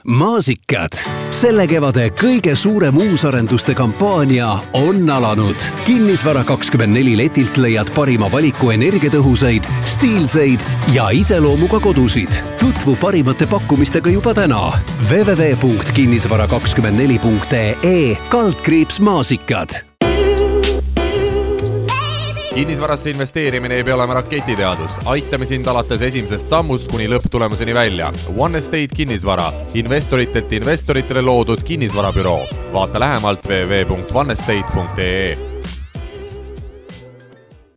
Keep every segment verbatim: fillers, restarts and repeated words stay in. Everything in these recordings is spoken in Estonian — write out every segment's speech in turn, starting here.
maasikad. Selle kevade kõige suurem uusarenduste kampaania on alanud. Kinnisvara kakskümmend neli letilt leiad parima valiku energiatõhusaid, stiilseid ja iseloomuga kodusid. Tutvu parimate pakkumistega juba täna. w w w punkt kinnisvara kakskümmend neli punkt e kaldkriips maasikad. Kinnisvarasse investeerimine ei pea olema raketiteadus. Aitame sind alates esimesest sammust kuni lõpptulemuseni välja. One Estate Kinnisvara. Investoritelt investoritele loodud kinnisvarabüroo. Vaata lähemalt w w w punkt one estate punkt e.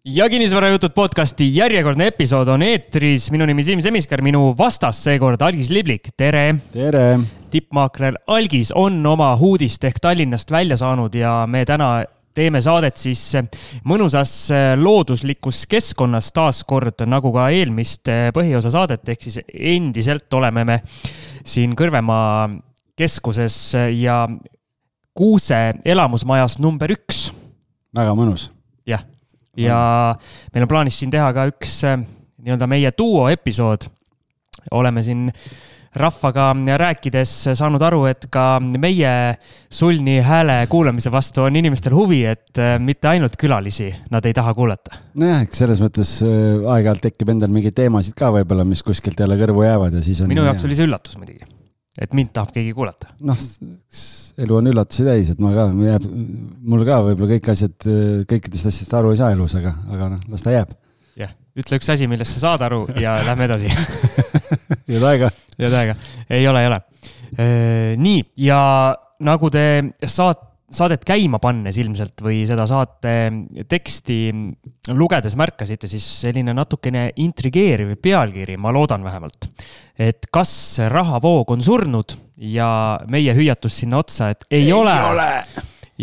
Ja Kinnisvarajutud podcasti järjekordne episood on eetris. Minu nimi Siim Semiskar, minu vastas seekord Algis Liblik. Tere! Tere! Tippmaakler Algis on oma huudist ehk Tallinnast välja saanud ja me täna teeme saadet siis mõnusas looduslikus keskkonnas taas kord, nagu ka eelmist põhiosa saadet, ehk siis endiselt oleme me siin Kõrvemaa keskuses ja Kuuse elamusmajas number üks. Väga mõnus. Jah, ja meil on plaanis siin teha ka üks nii-öelda meie duo episood. Oleme siin rahvaga rääkides saanud aru, et ka meie sulni hääle kuulamise vastu on inimestel huvi, et mitte ainult külalisi nad ei taha kuulata. Nojah, selles mõttes aeg-ajalt tekib endal mingeid teemasid ka võib-olla, mis kuskilt jälle kõrvu jäävad. Ja siis on Minu jaoks oli see üllatus muidugi, et mind tahab keegi kuulata. Noh, elu on üllatusi täis, et ma ka, jääb, mul ka võib-olla kõik asjad, kõikidest asjast aru ei saa elus, aga, aga noh, las ta jääb. Jah, ütle üks asi, millest sa saad aru ja lähme edasi. Jõud aega. Jõud aega. Ei ole, ei ole. E, nii, ja nagu te saat, saadet käima pannes ilmselt või seda saate teksti lugedes märkasite, siis selline natukene intrigeeriv pealkiri, ma loodan vähemalt, et kas rahavoog on surnud ja meie hüüatus sinna otsa, et ei, ei ole. ole.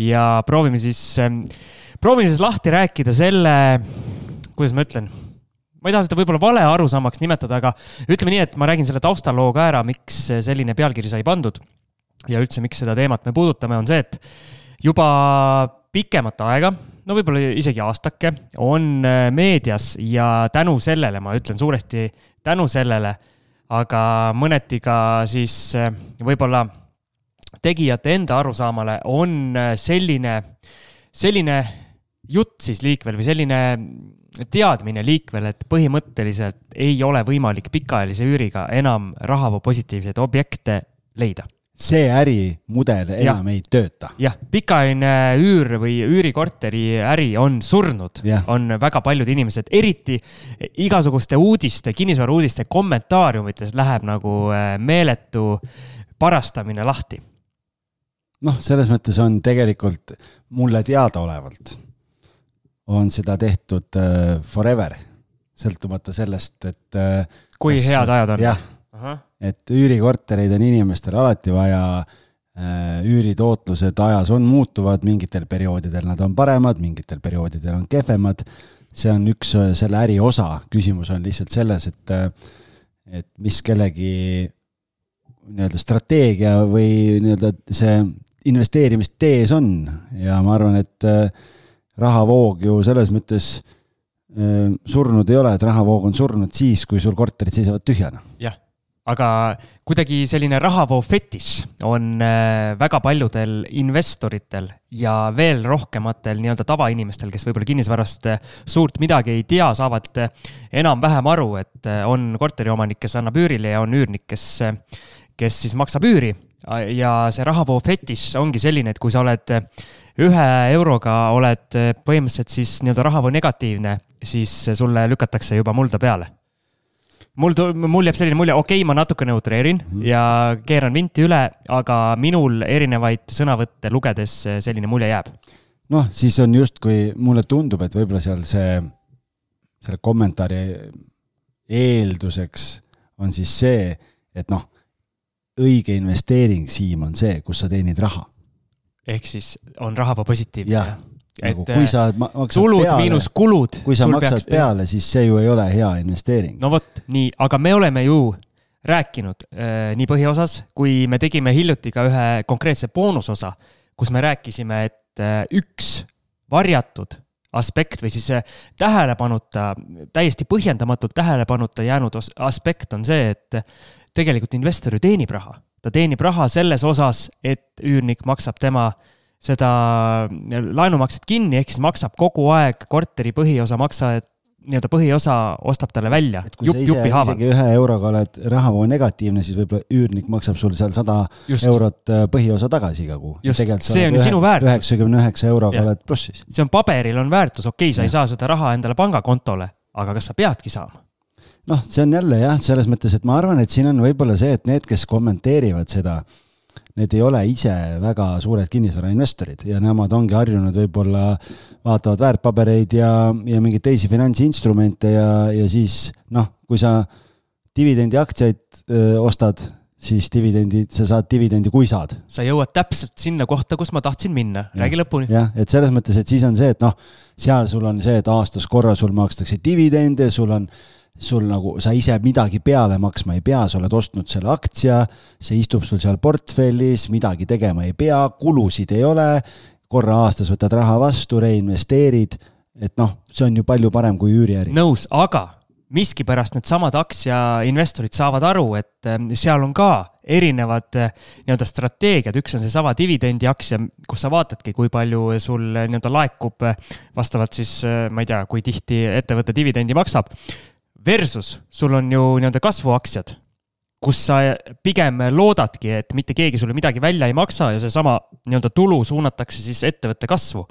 Ja proovime siis, proovime siis lahti rääkida selle, kuidas ma ütlen, ma ei taha seda võib-olla vale arusaamaks nimetada, aga ütleme nii, et ma räägin selle taustaloo ka ära, miks selline pealkiri sai pandud ja üldse miks seda teemat me puudutame, on see, et juba pikemat aega, no võib-olla isegi aastake, on meedias ja tänu sellele, ma ütlen suuresti tänu sellele, aga mõneti ka siis võib-olla tegijate enda arusaamale on selline, selline jutt siis liikvel või selline teadmine liikvel, et põhimõtteliselt ei ole võimalik pikaajalise üüriga enam rahavoo positiivseid objekte leida. See ärimudel enam ja. Ei tööta. Jah, pikaajaline üür või üürikorteri äri on surnud. Ja. On väga paljud inimesed, eriti igasuguste uudiste, kinnisvara uudiste kommentaariumites läheb nagu meeletu parastamine lahti. Noh, selles mõttes on tegelikult mulle teada olevalt on seda tehtud uh, forever, sõltumata sellest, et uh, kui kas, head ajad on. Jah, Aha. Et üürikortereid on inimestel alati vaja, uh, üüritootlused ajas on muutuvad, mingitel perioodidel nad on paremad, mingitel perioodidel on kehvemad. See on üks uh, selle äri osa. Küsimus on lihtsalt selles, et, uh, et mis kellegi nii-öelda strateegia või nii-öelda see investeerimistees on. Ja ma arvan, et uh, rahavoog ju selles mõttes äh, surnud ei ole, et rahavoog on surnud siis, kui sul korterid seisavad tühjana. Jah, aga kuidagi selline rahavoo fetiš on äh, väga paljudel investoritel ja veel rohkematel nii-öelda tavainimestel, kes võib-olla kinnisvarast suurt midagi ei tea, saavad enam vähem aru, et on korteriomanik, kes annab üürile ja on üürnik, kes, kes siis maksab üüri. Ja see rahavoo fetiš ongi selline, et kui sa oled ühe euroga oled põhimõtteliselt siis nii-öelda rahavoo negatiivne, siis sulle lükatakse juba mulda peale. Mul, mul jääb selline mulje, okei, ma natuke neutreerin mm. ja keeran vinti üle, aga minul erinevaid sõnavõtte lugedes selline mulje jääb. Noh, siis on just, kui mulle tundub, et võib-olla seal see selle kommentaari eelduseks on siis see, et noh, õige investeering, Siim, on see, kus sa teenid raha. Ehk siis on rahavoo positiivne. Jah, nagu kui sa maksad tulud peale, miinus kulud. Kui sa maksad peaks... peale, siis see ju ei ole hea investeering. No võt, nii, aga me oleme ju rääkinud äh, nii põhiosas, kui me tegime hiljuti ka ühe konkreetse boonusosa, kus me rääkisime, et äh, üks varjatud aspekt või siis tähelepanuta, täiesti põhjendamatult tähelepanuta jäänud aspekt on see, et tegelikult investor ju teenib raha. ta teenib raha selles osas, et üürnik maksab tema seda laenumakset kinni, ehk siis maksab kogu aeg korteri põhiosa maksa, et nii-öelda põhiosa ostab talle välja. Et kui Jup, sa ise, isegi ühe euroga oled rahavoo negatiivne, siis võib-olla üürnik maksab sul seal sada Just. eurot põhiosa tagasi iga kuu. Just, see on ühe, sinu väärtus. üheksakümne üheksa euroga ja. oled plussis. See on paberil on väärtus, okei, sa ja. ei saa seda raha endale pangakontole, aga kas sa peadki saama? Noh, see on jälle jah, selles mõttes, et ma arvan, et siin on võib-olla see, et need, kes kommenteerivad seda, need ei ole ise väga suured kinnisvarainvestorid ja nemad ongi harjunud võib-olla vaatavad väärtpabereid ja, ja mingeid teisi finantsinstrumente ja, ja siis noh, kui sa dividendi aktsiaid öö, ostad, siis dividendi, sa saad dividendi, kui saad. Sa jõuad täpselt sinna kohta, kus ma tahtsin minna. Räägi ja, lõpuni. Jah, et selles mõttes, et siis on see, et noh, seal sul on see, et aastas korra sul makstakse dividende, sul on sul nagu, sa ise midagi peale maksma ei pea, sa oled ostnud selle aktsia, see istub sul seal portfellis, midagi tegema ei pea, kulusid ei ole, korra aastas võtad raha vastu, reinvesteerid, et noh, see on ju palju parem kui üüriäri. Nõus, aga miski pärast need samad aktsiainvestorid saavad aru, et seal on ka erinevad nii-öelda strateegiad, üks on see sama dividendi aktsia, kus sa vaatadki, kui palju sul nii-öelda laekub vastavalt siis, ma ei tea, kui tihti ettevõtte dividendi maksab, versus sul on ju nii-öelda kasvuaktsiad, kus sa pigem loodadki, et mitte keegi sulle midagi välja ei maksa ja see sama nii-öelda tulu suunatakse siis ettevõtte kasvu.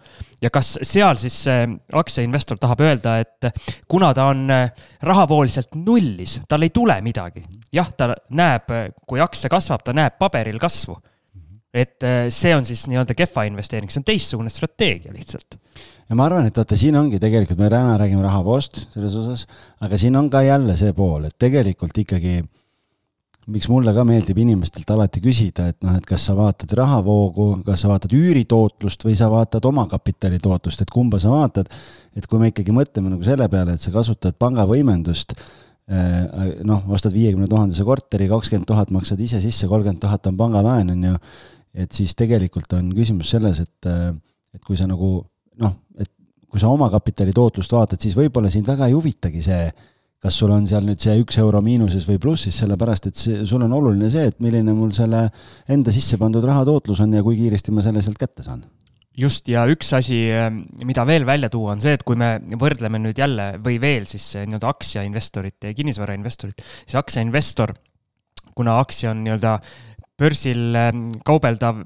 Ja kas seal siis aktsiainvestor tahab öelda, et kuna ta on rahavooliselt nullis, tal ei tule midagi. Jah, ta näeb, kui aktsia kasvab, ta näeb paberil kasvu. Et see on siis nii-öelda kehva investeering, see on teistsugune strateegia lihtsalt. Ja ma arvan, et vaata, siin ongi tegelikult, me täna räägime rahavoost selles osas, aga siin on ka jälle see pool, et tegelikult ikkagi, miks mulle ka meeldib inimestelt alati küsida, et noh, et kas sa vaatad rahavoogu, kas sa vaatad üüritootlust või sa vaatad oma kapitali tootlust, et kumba sa vaatad, et kui me ikkagi mõtleme nagu selle peale, et sa kasutad pangavõimendust, noh, ostad viiekümne tuhandese korteri, kakskümmend tuhat maksad ise sisse, kolmkümmend tuhat on pangalaen, on ju, et siis tegelikult on küsimus selles, et, et kui sa nagu noh, et kui sa oma kapitali tootlust vaatad, siis võib-olla sind väga ei huvitagi see, kas sul on seal nüüd see üks euro miinuses või plussis, sellepärast, et see, sul on oluline see, et milline mul selle enda sisse pandud raha tootlus on ja kui kiiresti ma selle sealt kätte saan. Just, ja üks asi, mida veel välja tuua, on see, et kui me võrdleme nüüd jälle või veel siis nii-öelda aktsiainvestorit ja kinnisvarainvestorit, siis aktsiainvestor, kuna aktsia on nii-öelda börsil kaubeldav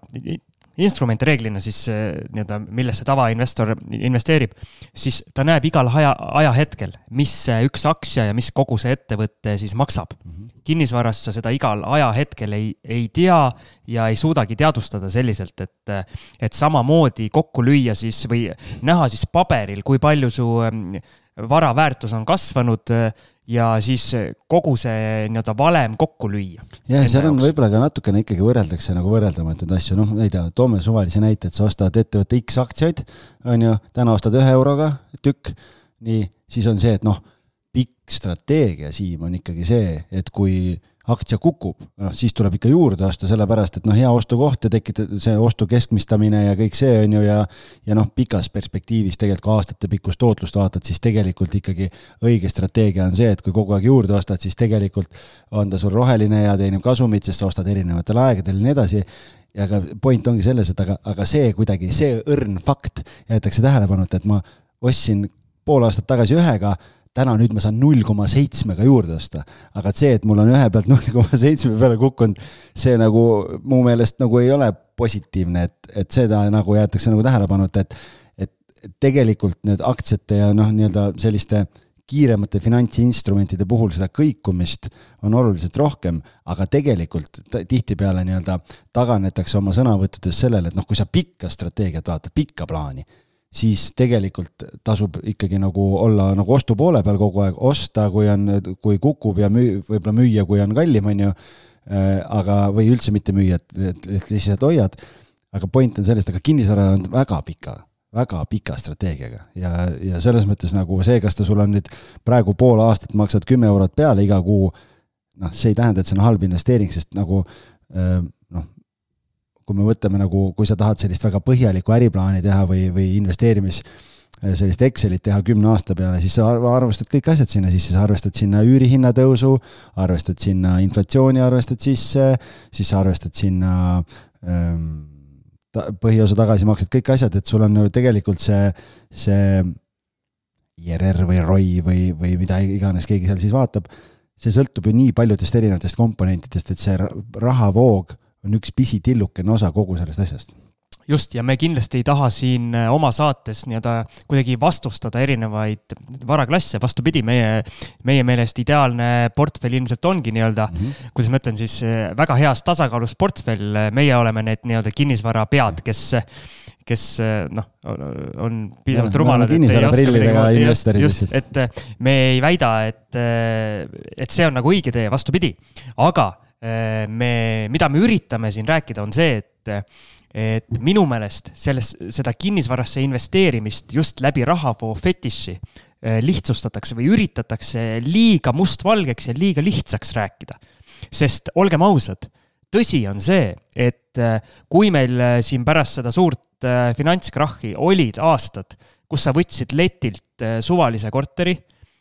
instrument reeglina siis nii-öelda, millesse tavainvestor investeerib, siis ta näeb igal aja, ajahetkel, mis üks aktsia ja mis kogu see ettevõtte siis maksab. Mm-hmm. Kinnisvarast sa seda igal ajahetkel ei, ei tea ja ei suudagi teadvustada selliselt, et, et samamoodi kokku lüüa siis või näha siis paberil, kui palju su vara väärtus on kasvanud ja siis kogu see nii-öelda valem kokku lüüa. Ja seal on võib-olla ka natukene ikkagi võrreldakse nagu võrreldamatud asju. Noh, ei tea, toome suvalise näite, et sa ostad ettevõtte X aktsiaid, on ju, täna ostad ühe euroga tükk, nii, siis on see, et noh, pikk strateegia Siim on ikkagi see, et kui aktsia kukub, noh, siis tuleb ikka juurde osta, sellepärast, et noh, hea ostukoht ja tekitab see ostu keskmistamine ja kõik see on ju ja, ja noh, pikas perspektiivis tegelikult kui aastate pikkust tootlust vaatad, siis tegelikult ikkagi õige strateegia on see, et kui kogu aeg juurde ostad, siis tegelikult on ta sul roheline ja teenib kasumit, sest sa ostad erinevatel aegadel ja nii edasi. Ja aga point ongi selles, et aga, aga see kuidagi, see õrn fakt jäetakse tähelepanuta, et ma ostsin pool aastat tagasi ühega, täna nüüd ma saan null koma seitse juurde osta, aga see, et mul on ühe pealt null koma seitse peale kukkunud, see nagu mu meelest nagu ei ole positiivne, et, et seda nagu jäetakse nagu tähelepanuta, et, et tegelikult need aktsiate ja noh, nii-öelda selliste kiiremate finantsinstrumentide puhul seda kõikumist on oluliselt rohkem, aga tegelikult tihti peale nii-öelda taganetakse oma sõnavõttudes sellele, et noh, kui sa pikka strateegiat vaatad, pikka plaani, siis tegelikult tasub ikkagi nagu olla nagu ostu poole peal kogu aeg, osta, kui, on, kui kukub ja müü, võib-olla müüa, kui on kallim, on ju, aga, või üldse mitte müüa, et, et, et lihtsalt hoiad. Aga point on sellest, aga kinnisvara on väga pika, väga pika strateegiaga ja, ja selles mõttes nagu see, kas ta sul on nüüd praegu pool aastat maksad kümme eurot peale iga kuu, noh, see ei tähenda, et see on halb investeering, sest nagu noh, kui me võtame nagu, kui sa tahad sellist väga põhjalikku äriplaani teha või, või investeerimis sellist Excelit teha kümne aasta peale, siis sa arvestad kõik asjad sinna sisse, sa arvestad sinna üürihinna tõusu, arvestad sinna inflatsiooni, arvestad sisse, siis sa arvestad sinna ähm, ta, põhiosa tagasi maksad kõik asjad, et sul on ju tegelikult see, see I R R või R O I või, või mida iganes keegi seal siis vaatab, see sõltub ju nii paljudest erinevatest komponentidest, et see rahavoog on üks pisitillukene osa kogu sellest asjast. Just, ja me kindlasti ei taha siin oma saates nii-öelda kuidagi vastustada erinevaid varaklasse, vastupidi, meie, meie meelest ideaalne portfell ilmselt ongi nii-öelda, mm -hmm. kuidas ma ütlen siis, väga heas tasakaalus portfell, meie oleme need nii-öelda kinnisvara pead, kes kes noh, on piisavalt rumalad, et ei oska midagi, just, just, et me ei väida, et, et see on nagu õige tee, vastupidi, aga me, mida me üritame siin rääkida, on see, et et minu meelest selles, seda kinnisvarasse investeerimist just läbi rahavoo fetiši lihtsustatakse või üritatakse liiga mustvalgeks ja liiga lihtsaks rääkida. Sest olgem ausad, tõsi on see, et kui meil siin pärast seda suurt finantskrahhi olid aastad, kus sa võtsid letilt suvalise korteri,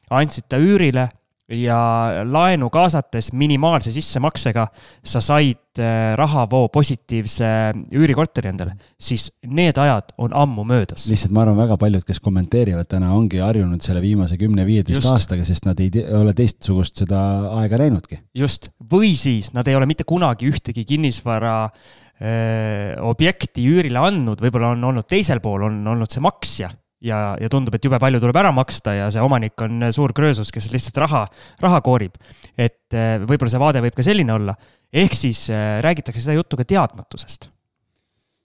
andsid ta üürile ja laenu kaasates minimaalse sissemaksega sa said rahavoo positiivse üürikorteri endale, siis need ajad on ammu möödas. Lihtsalt ma arvan, väga paljud, kes kommenteerivad täna, ongi harjunud selle viimase kümne viieteist aastaga, sest nad ei te- ole teistsugust seda aega näinudki. Just, või siis nad ei ole mitte kunagi ühtegi kinnisvara öö, objekti üürile andnud, võib-olla on olnud teisel pool, on olnud see maksja. Ja, ja tundub, et jube palju tuleb ära maksta ja see omanik on suur kröösus, kes lihtsalt raha, raha koorib. Et võib-olla see vaade võib ka selline olla. Ehk siis räägitakse seda juttu ka teadmatusest.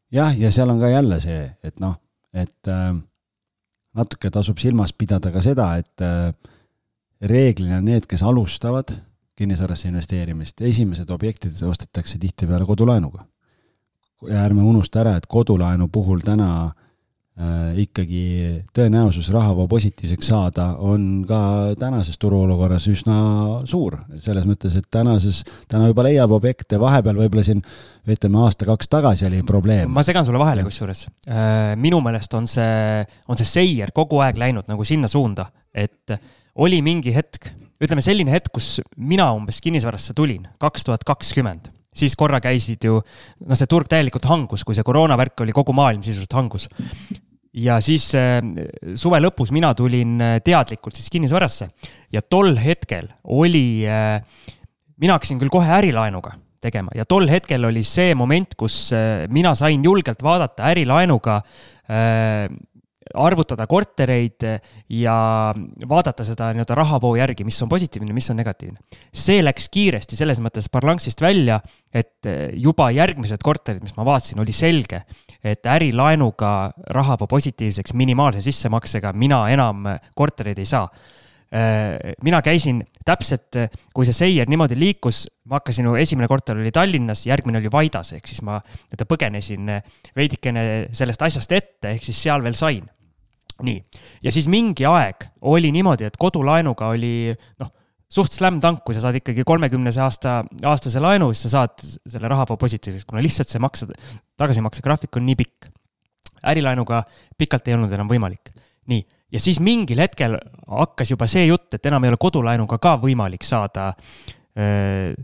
Jah, ja seal on ka jälle see, et noh, et äh, natuke tasub silmas pidada ka seda, et äh, reeglina need, kes alustavad kinnisvarasse investeerimist, esimesed objektid ostetakse tihti peale kodulaenuga. Ja ärme unusta ära, et kodulaenu puhul täna Äh, ikkagi tõenäosus rahavoo positiivseks saada on ka tänases turuolukorras üsna suur. Selles mõttes, et tänases, täna juba leiab objekte, vahepeal võib-olla siin, ütleme aasta kaks tagasi oli probleem. Ma segan sulle vahele kusjuures. Äh, minu meelest on see, on see seier kogu aeg läinud nagu sinna suunda, et oli mingi hetk, ütleme selline hetk, kus mina umbes kinnisvarasse tulin, kaks tuhat kakskümmend. Siis korra käisid ju, no see turg täielikult hangus, kui see koroonavärk oli kogu maailm sisuliselt hangus. Ja siis äh, suve lõpus mina tulin teadlikult siis kinnisvarasse ja tol hetkel oli, äh, mina hakkasin küll kohe ärilaenuga tegema ja tol hetkel oli see moment, kus äh, mina sain julgelt vaadata ärilaenuga äh, arvutada kortereid ja vaadata seda nii-öelda rahavoo järgi, mis on positiivne, mis on negatiivne. See läks kiiresti selles mõttes parlangsist välja, et juba järgmised korterid, mis ma vaatasin, oli selge, et ärilaenuga rahavoo positiivseks minimaalse sissemaksega mina enam kortereid ei saa. Mina käisin täpselt, kui see seier niimoodi liikus, ma hakkasin, esimene korter oli Tallinnas, järgmine oli Vaidas, ehk siis ma põgenesin veidikene sellest asjast ette, ehk siis seal veel sain. Nii. Ja siis mingi aeg oli niimoodi, et kodulaenuga oli noh, suht slam tank, kui sa saad ikkagi kolmekümnese aasta, aastase laenu, siis sa saad selle rahavoo positiivseks, kuna lihtsalt see maksa, tagasimakse graafik on nii pikk. Ärilaenuga pikalt ei olnud enam võimalik. Nii. Ja siis mingil hetkel hakkas juba see jutt, et enam ei ole kodulaenuga ka võimalik saada äh,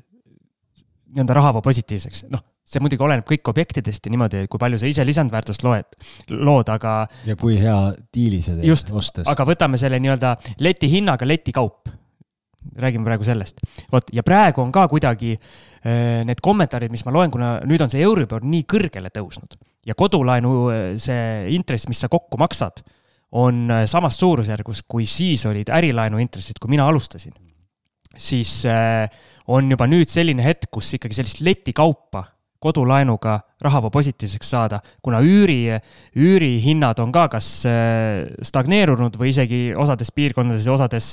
nii-öelda rahavoo positiivseks. Noh, see muidugi oleneb kõik objektidest ja niimoodi, kui palju sa ise lisandväärtust loed, lood, aga... Ja kui hea diili see teed just, ostes. Aga võtame selle nii-öelda leti hinnaga leti kaup. Räägime praegu sellest. Vot, ja praegu on ka kuidagi äh, need kommentaarid, mis ma loen, kuna nüüd on see Euribor nii kõrgele tõusnud. Ja kodulaenu see intress, mis sa kokku maksad, on samast suurusjärgus, kui siis olid ärilaenu intressid, kui mina alustasin. Siis äh, on juba nüüd selline hetk, kus ikkagi sellist leti kaupa kodulaenuga rahavoo positiivseks saada, kuna üüri, üüri hinnad on ka kas stagneerunud või isegi osades piirkondades ja osades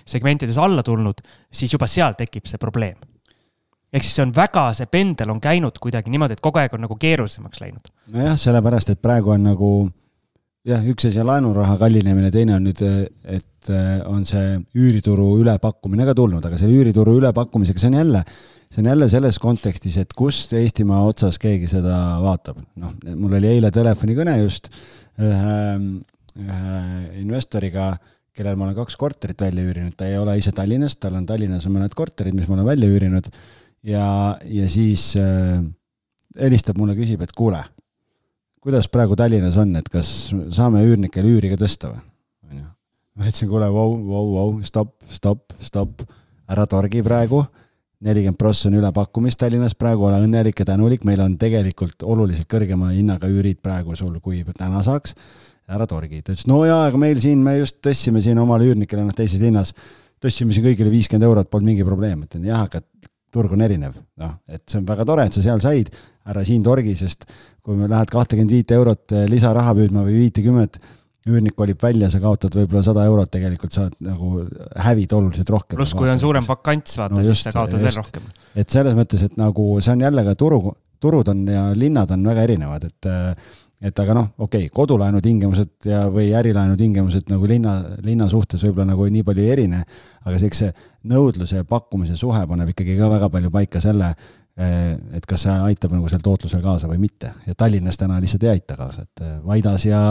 segmentides alla tulnud, siis juba seal tekib see probleem. Ehk siis see on väga, see pendel on käinud kuidagi niimoodi, et kogu aeg on nagu keerulisemaks läinud. Nojah, sellepärast, et praegu on nagu jah, üks asi laenuraha kallinemine, teine on nüüd, et on see üürituru ülepakkumine ka tulnud, aga selle üürituru ülepakkumisega see on jälle See on jälle selles kontekstis, et kust Eestimaa otsas keegi seda vaatab. No, mul oli eile telefonikõne just ühe ühe investoriga, kellel ma olen kaks korterit välja üürinud, ta ei ole ise Tallinnas, tal on Tallinnas on mõned korterid, mis ma olen välja üürinud ja, ja siis äh, helistab mulle, küsib, et kuule, kuidas praegu Tallinnas on, et kas saame üürnikel üüri ka tõsta või? Ma ütlesin, kuule, vau, vau, vau, stopp, stopp, stopp, ära torgi praegu, nelikümmend prossa on üle pakkumist Tallinnas praegu, ole õnnelik ja tänulik, meil on tegelikult oluliselt kõrgema hinnaga üürid praegu sul, kui täna saaks, ära torgi. Ta ütles, no jaa, aga meil siin, me just tõstsime siin omal üürnikele noh, teises linnas, tõstsime siin kõigile viiskümmend eurot, polnud mingi probleem, et jah, aga turg on erinev. No, et see on väga tore, et sa seal said, ära siin torgi, sest kui me lähed kakskümmend viis eurot lisaraha püüdma või viiskümmend, üürnik olib välja, sa kaotad võib-olla sada eurot, tegelikult saad nagu hävid oluliselt rohkem. Plus kui on suurem vakants, vaata, no just, siis sa kaotad just. Veel rohkem. Et selles mõttes, et nagu see on jälle ka turu, turud on ja linnad on väga erinevad, et et aga noh, okei, okay, kodulaenu tingimused ja, või ärilaenu tingimused nagu linna, linna suhtes võib-olla nagu nii palju ei erine, aga see, see nõudluse ja pakkumise suhe paneb ikkagi ka väga palju paika selle, et kas see aitab nagu seal tootlusel kaasa või mitte. Ja Tallinnas täna lihtsalt ei aita kaasa, et Vaidas ja,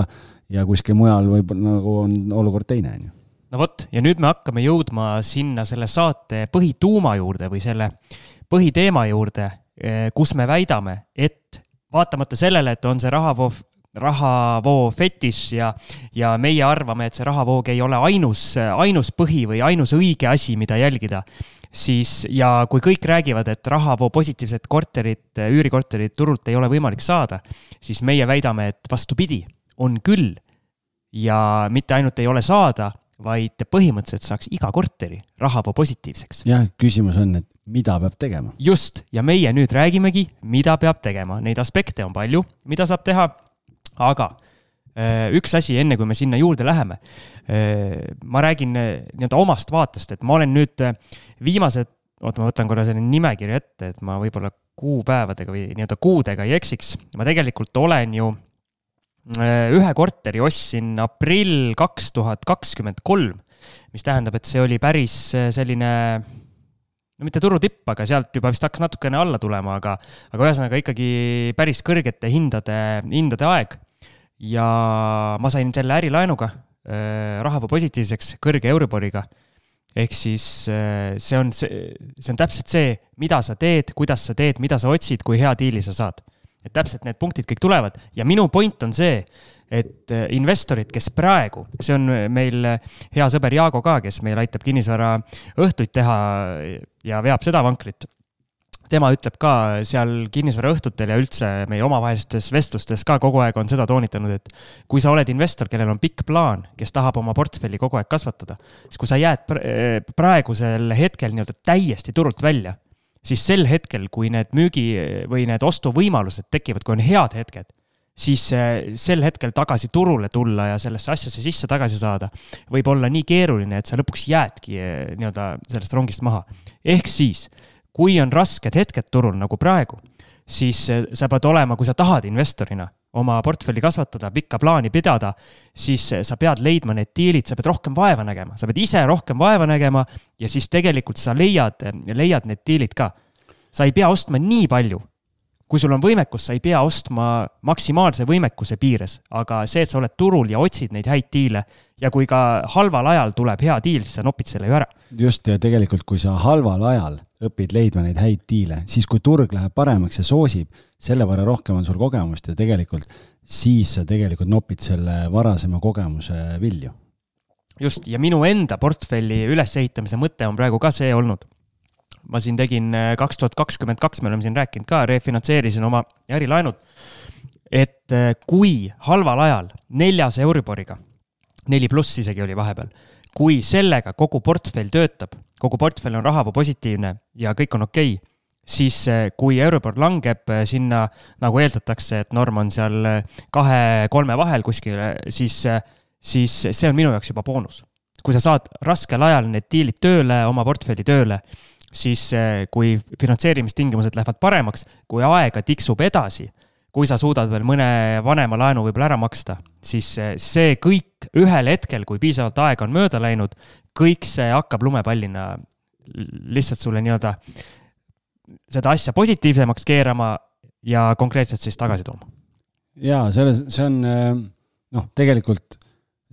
ja kuskil mujal võib nagu on olukord teine. No vot, ja nüüd me hakkame jõudma sinna selle saate põhituuma juurde või selle põhiteema juurde, kus me väidame, et vaatamata sellele, et on see rahavoo, rahavoo fetiš ja, ja meie arvame, et see rahavoog ei ole ainus, ainus põhi või ainus õige asi, mida jälgida, siis ja kui kõik räägivad, et rahavoo positiivset korterit, üürikorterit turult ei ole võimalik saada, siis meie väidame, et vastupidi, on küll ja mitte ainult ei ole saada, vaid põhimõtteliselt saaks iga korteri rahavoo positiivseks. Jah, küsimus on, et mida peab tegema? Just, ja meie nüüd räägimegi, mida peab tegema. Neid aspekte on palju, mida saab teha, aga üks asi, enne kui me sinna juurde läheme, ma räägin nii-öelda omast vaatest, et ma olen nüüd viimased, oota, ma võtan korra selline nimekirja ette, et ma võib-olla kuupäevadega või nii-öelda kuudega ei eksiks. Ma tegelikult olen ju ühe korteri ostsin aprill kaks tuhat kakskümmend kolm, mis tähendab, et see oli päris selline, no mitte turutipp, aga sealt juba vist hakkas natukene alla tulema, aga, aga ühesõnaga ikkagi päris kõrgete hindade, hindade aeg. Ja ma sain selle ärilaenuga rahavoo positiivseks kõrge Euriboriga. Ehk siis see on, see, see on täpselt see, mida sa teed, kuidas sa teed, mida sa otsid, kui hea diili sa saad. Et täpselt need punktid kõik tulevad ja minu point on see, et investorid, kes praegu, see on meil hea sõber Jaago ka, kes meil aitab kinnisvara õhtuid teha ja veab seda vankrit. Tema ütleb ka seal kinnisvara õhtutel ja üldse meie omavahelistes vestlustes ka kogu aeg on seda toonitanud, et kui sa oled investor, kellel on pikk plaan, kes tahab oma portfelli kogu aeg kasvatada, siis kui sa jääd praegusel hetkel nii-öelda täiesti turult välja, siis sel hetkel, kui need müügi või need ostuvõimalused tekivad, kui on head hetked, siis sel hetkel tagasi turule tulla ja sellesse asjasse sisse tagasi saada võib olla nii keeruline, et sa lõpuks jäädki nii-öelda sellest rongist maha. Ehk siis, kui on rasked hetked turul nagu praegu, siis sa pead olema, kui sa tahad investorina oma portfelli kasvatada, pikka plaani pidada, siis sa pead leidma need diilid, sa pead rohkem vaeva nägema, sa pead ise rohkem vaeva nägema ja siis tegelikult sa leiad, leiad need diilid ka. Sa ei pea ostma nii palju. Kui sul on võimekus, sa ei pea ostma maksimaalse võimekuse piires, aga see, et sa oled turul ja otsid neid häid diile ja kui ka halval ajal tuleb hea diil, siis sa nopid selle ju ära. Just, ja tegelikult kui sa halval ajal õpid leidma neid häid diile, siis kui turg läheb paremaks ja soosib, selle võrra rohkem on sul kogemust ja tegelikult siis sa tegelikult nopid selle varasema kogemuse vilju. Just, ja minu enda portfelli ülesehitamise mõte on praegu ka see olnud. Ma siin tegin kaks tuhat kakskümmend kaks, me oleme siin rääkinud ka, refinantseerisin oma ärilaenud, et kui halval ajal neljas Euriboriga, neli pluss isegi oli vahepeal, kui sellega kogu portfell töötab, kogu portfell on rahavoo positiivne ja kõik on okei, siis kui Euribor langeb sinna, nagu eeldatakse, et norm on seal kahe-kolme vahel kuskil, siis, siis see on minu jaoks juba boonus. Kui sa saad raskel ajal need diilid tööle, oma portfelli tööle, siis kui finantseerimistingimused lähevad paremaks, kui aega tiksub edasi, kui sa suudad veel mõne vanema laenu võib-olla ära maksta, siis see kõik ühel hetkel, kui piisavalt aega on mööda läinud, kõik see hakkab lumepallina lihtsalt sulle nii-öelda seda asja positiivsemaks keerama ja konkreetselt siis tagasi tooma. Jaa, selles, see on noh, tegelikult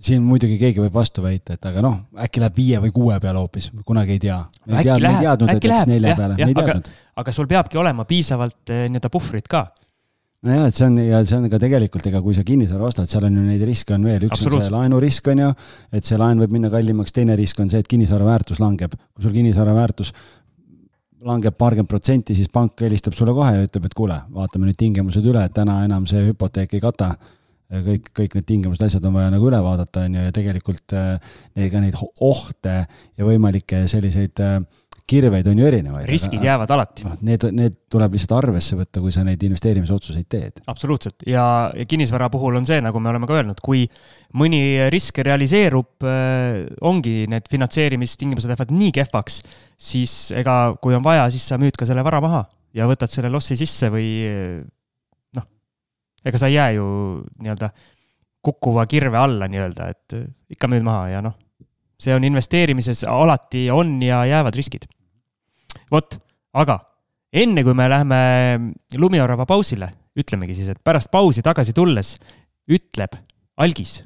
siin muidugi keegi võib vastu väita, et aga noh, äkki läheb viie või kuue peale hoopis, kunagi ei tea. Me ei teadnud, teadnud, et läks nelja jah, peale, jah, me ei teadnud. Aga, aga sul peabki olema piisavalt nii-öelda puhvrit ka. No jah, et see on, ja see on ka tegelikult, ega kui sa kinnisvara ostad, seal on ju neid riske on veel, üks on see laenurisk on ju, et see laen võib minna kallimaks, teine risk on see, et kinnisvara väärtus langeb. Kui sul kinnisvara väärtus langeb paarkümmend protsenti, siis pank helistab sulle kohe ja ütleb, et kuule, vaatame nüüd tingimused üle, et täna enam see hüpoteek ei kata. Kõik, kõik need tingimused asjad on vaja nagu üle vaadata on ju, ja tegelikult neid, ka neid ohte ja võimalikke selliseid kirveid on ju erinevaid. Riskid aga, jäävad alati. Need, need tuleb lihtsalt arvesse võtta, kui sa neid investeerimisotsuseid teed. Absoluutselt. Ja, ja kinnisvara puhul on see, nagu me oleme ka öelnud, kui mõni risk realiseerub, ongi need finantseerimistingimused lähevad nii kehvaks, siis ega kui on vaja, siis sa müüd ka selle vara maha ja võtad selle lossi sisse või noh, ega sa ei jää ju nii-öelda kukkuva kirve alla nii-öelda, et ikka müüd maha ja noh, see on investeerimises alati on ja jäävad riskid. Vot, aga enne kui me läheme Lumiorava pausile, ütlemegi siis, et pärast pausi tagasi tulles ütleb Algis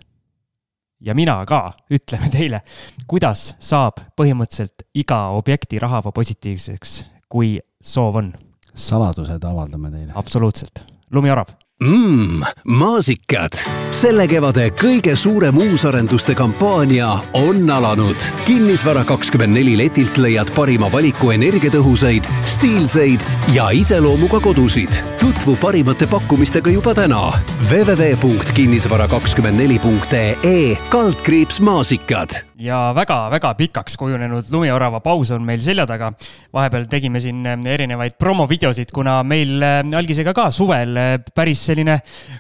ja mina ka ütleme teile, kuidas saab põhimõtteliselt iga objekti rahava positiivseks, kui soov on. Saladused avaldame teile. Absoluutselt. Lumiorava. Mmm, maasikad. Selle kevade kõige suurem uusarenduste kampaania on alanud. Kinnisvara kakskümmend neli letilt leiad parima valiku energiatõhusaid, stiilseid ja iseloomuga kodusid. Tutvu parimate pakkumistega juba täna. w w w punkt kinnisvara kakskümmend neli punkt e kaldkriips maasikad. Ja väga-väga pikaks kujunenud Lumiorava paus on meil selja taga. Vahepeal tegime siin erinevaid promovideosid, kuna meil Algisega ka suvel päris selline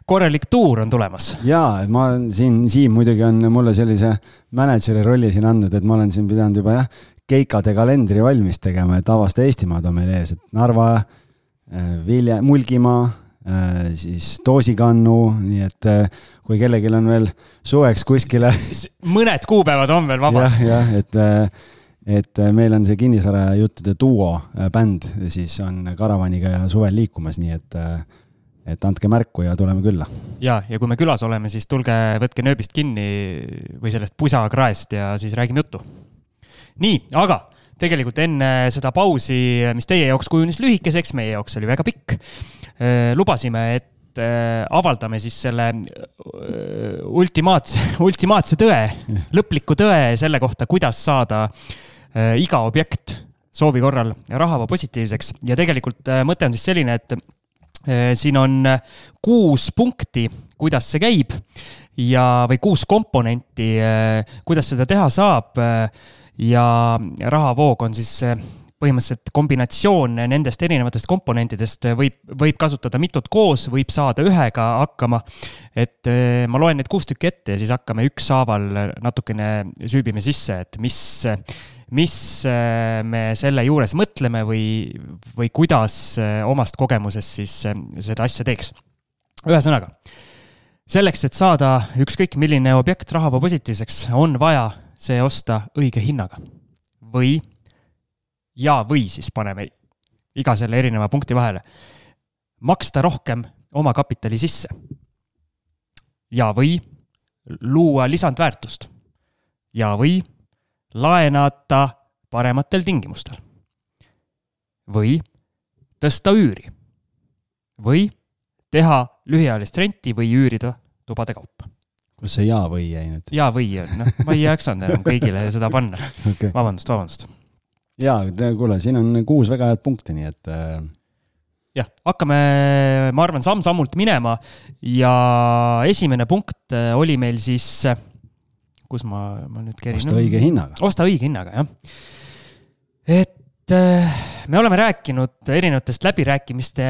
korralik tuur on tulemas. Jaa, ma siin, Siim muidugi on mulle sellise manageeri rolli siin andnud, et ma olen siin pidanud juba jah, keikade kalendri valmis tegema, et avasta Eestimaad on meil ees, et Narva, Vilja, Mulgimaa, siis Toosikannu, nii et kui kellelgi on veel suveks kuskile mõned kuupäevad on veel vabad. jah, jah, et, et meil on see kinnisvara juttude duo bänd, siis on karavaniga ja suvel liikumas, nii et et andke märku ja tuleme külla. Ja, ja kui me külas oleme, siis tulge, võtke nööbist kinni või sellest pusakraest ja siis räägime juttu. Nii, aga tegelikult enne seda pausi, mis teie jaoks kujunis lühikeseks, meie jaoks oli väga pikk, lubasime, et avaldame siis selle ultimaatse, ultimaatse tõe, lõpliku tõe selle kohta, kuidas saada iga objekt soovi korral rahava positiivseks. Ja tegelikult mõte on siis selline, et siin on kuus punkti, kuidas see käib ja, või kuus komponenti, kuidas seda teha saab ja rahavoog on siis põhimõtteliselt kombinatsioon nendest erinevatest komponentidest, võib, võib kasutada mitut koos, võib saada ühega hakkama, et ma loen need kuus tükki ette ja siis hakkame ükshaaval natukene süübime sisse, et mis mis me selle juures mõtleme või, või kuidas omast kogemusest siis seda asja teeks. Ühesõnaga, selleks, et saada ükskõik milline objekt rahava positiivseks, on vaja see osta õige hinnaga. Või, ja või siis paneme iga selle erineva punkti vahele, maksta rohkem oma kapitali sisse. Ja või luua lisandväärtust. Ja või laenata parematel tingimustel. Või tõsta üüri. Või teha lühiajalist renti või üürida tubade kaupa. Kus see ja või jäi nüüd? Ja või, no, ma ei jaksanud enam kõigile seda panna. Okay. Vabandust, vabandust. Jaa, kuule, siin on kuus väga head punkti, nii et... Jah, hakkame, ma arvan, samm-sammult minema ja esimene punkt oli meil siis... kus ma, ma nüüd kerin. Osta õige hinnaga. Osta õige hinnaga, jah. Et me oleme rääkinud erinevatest läbirääkimiste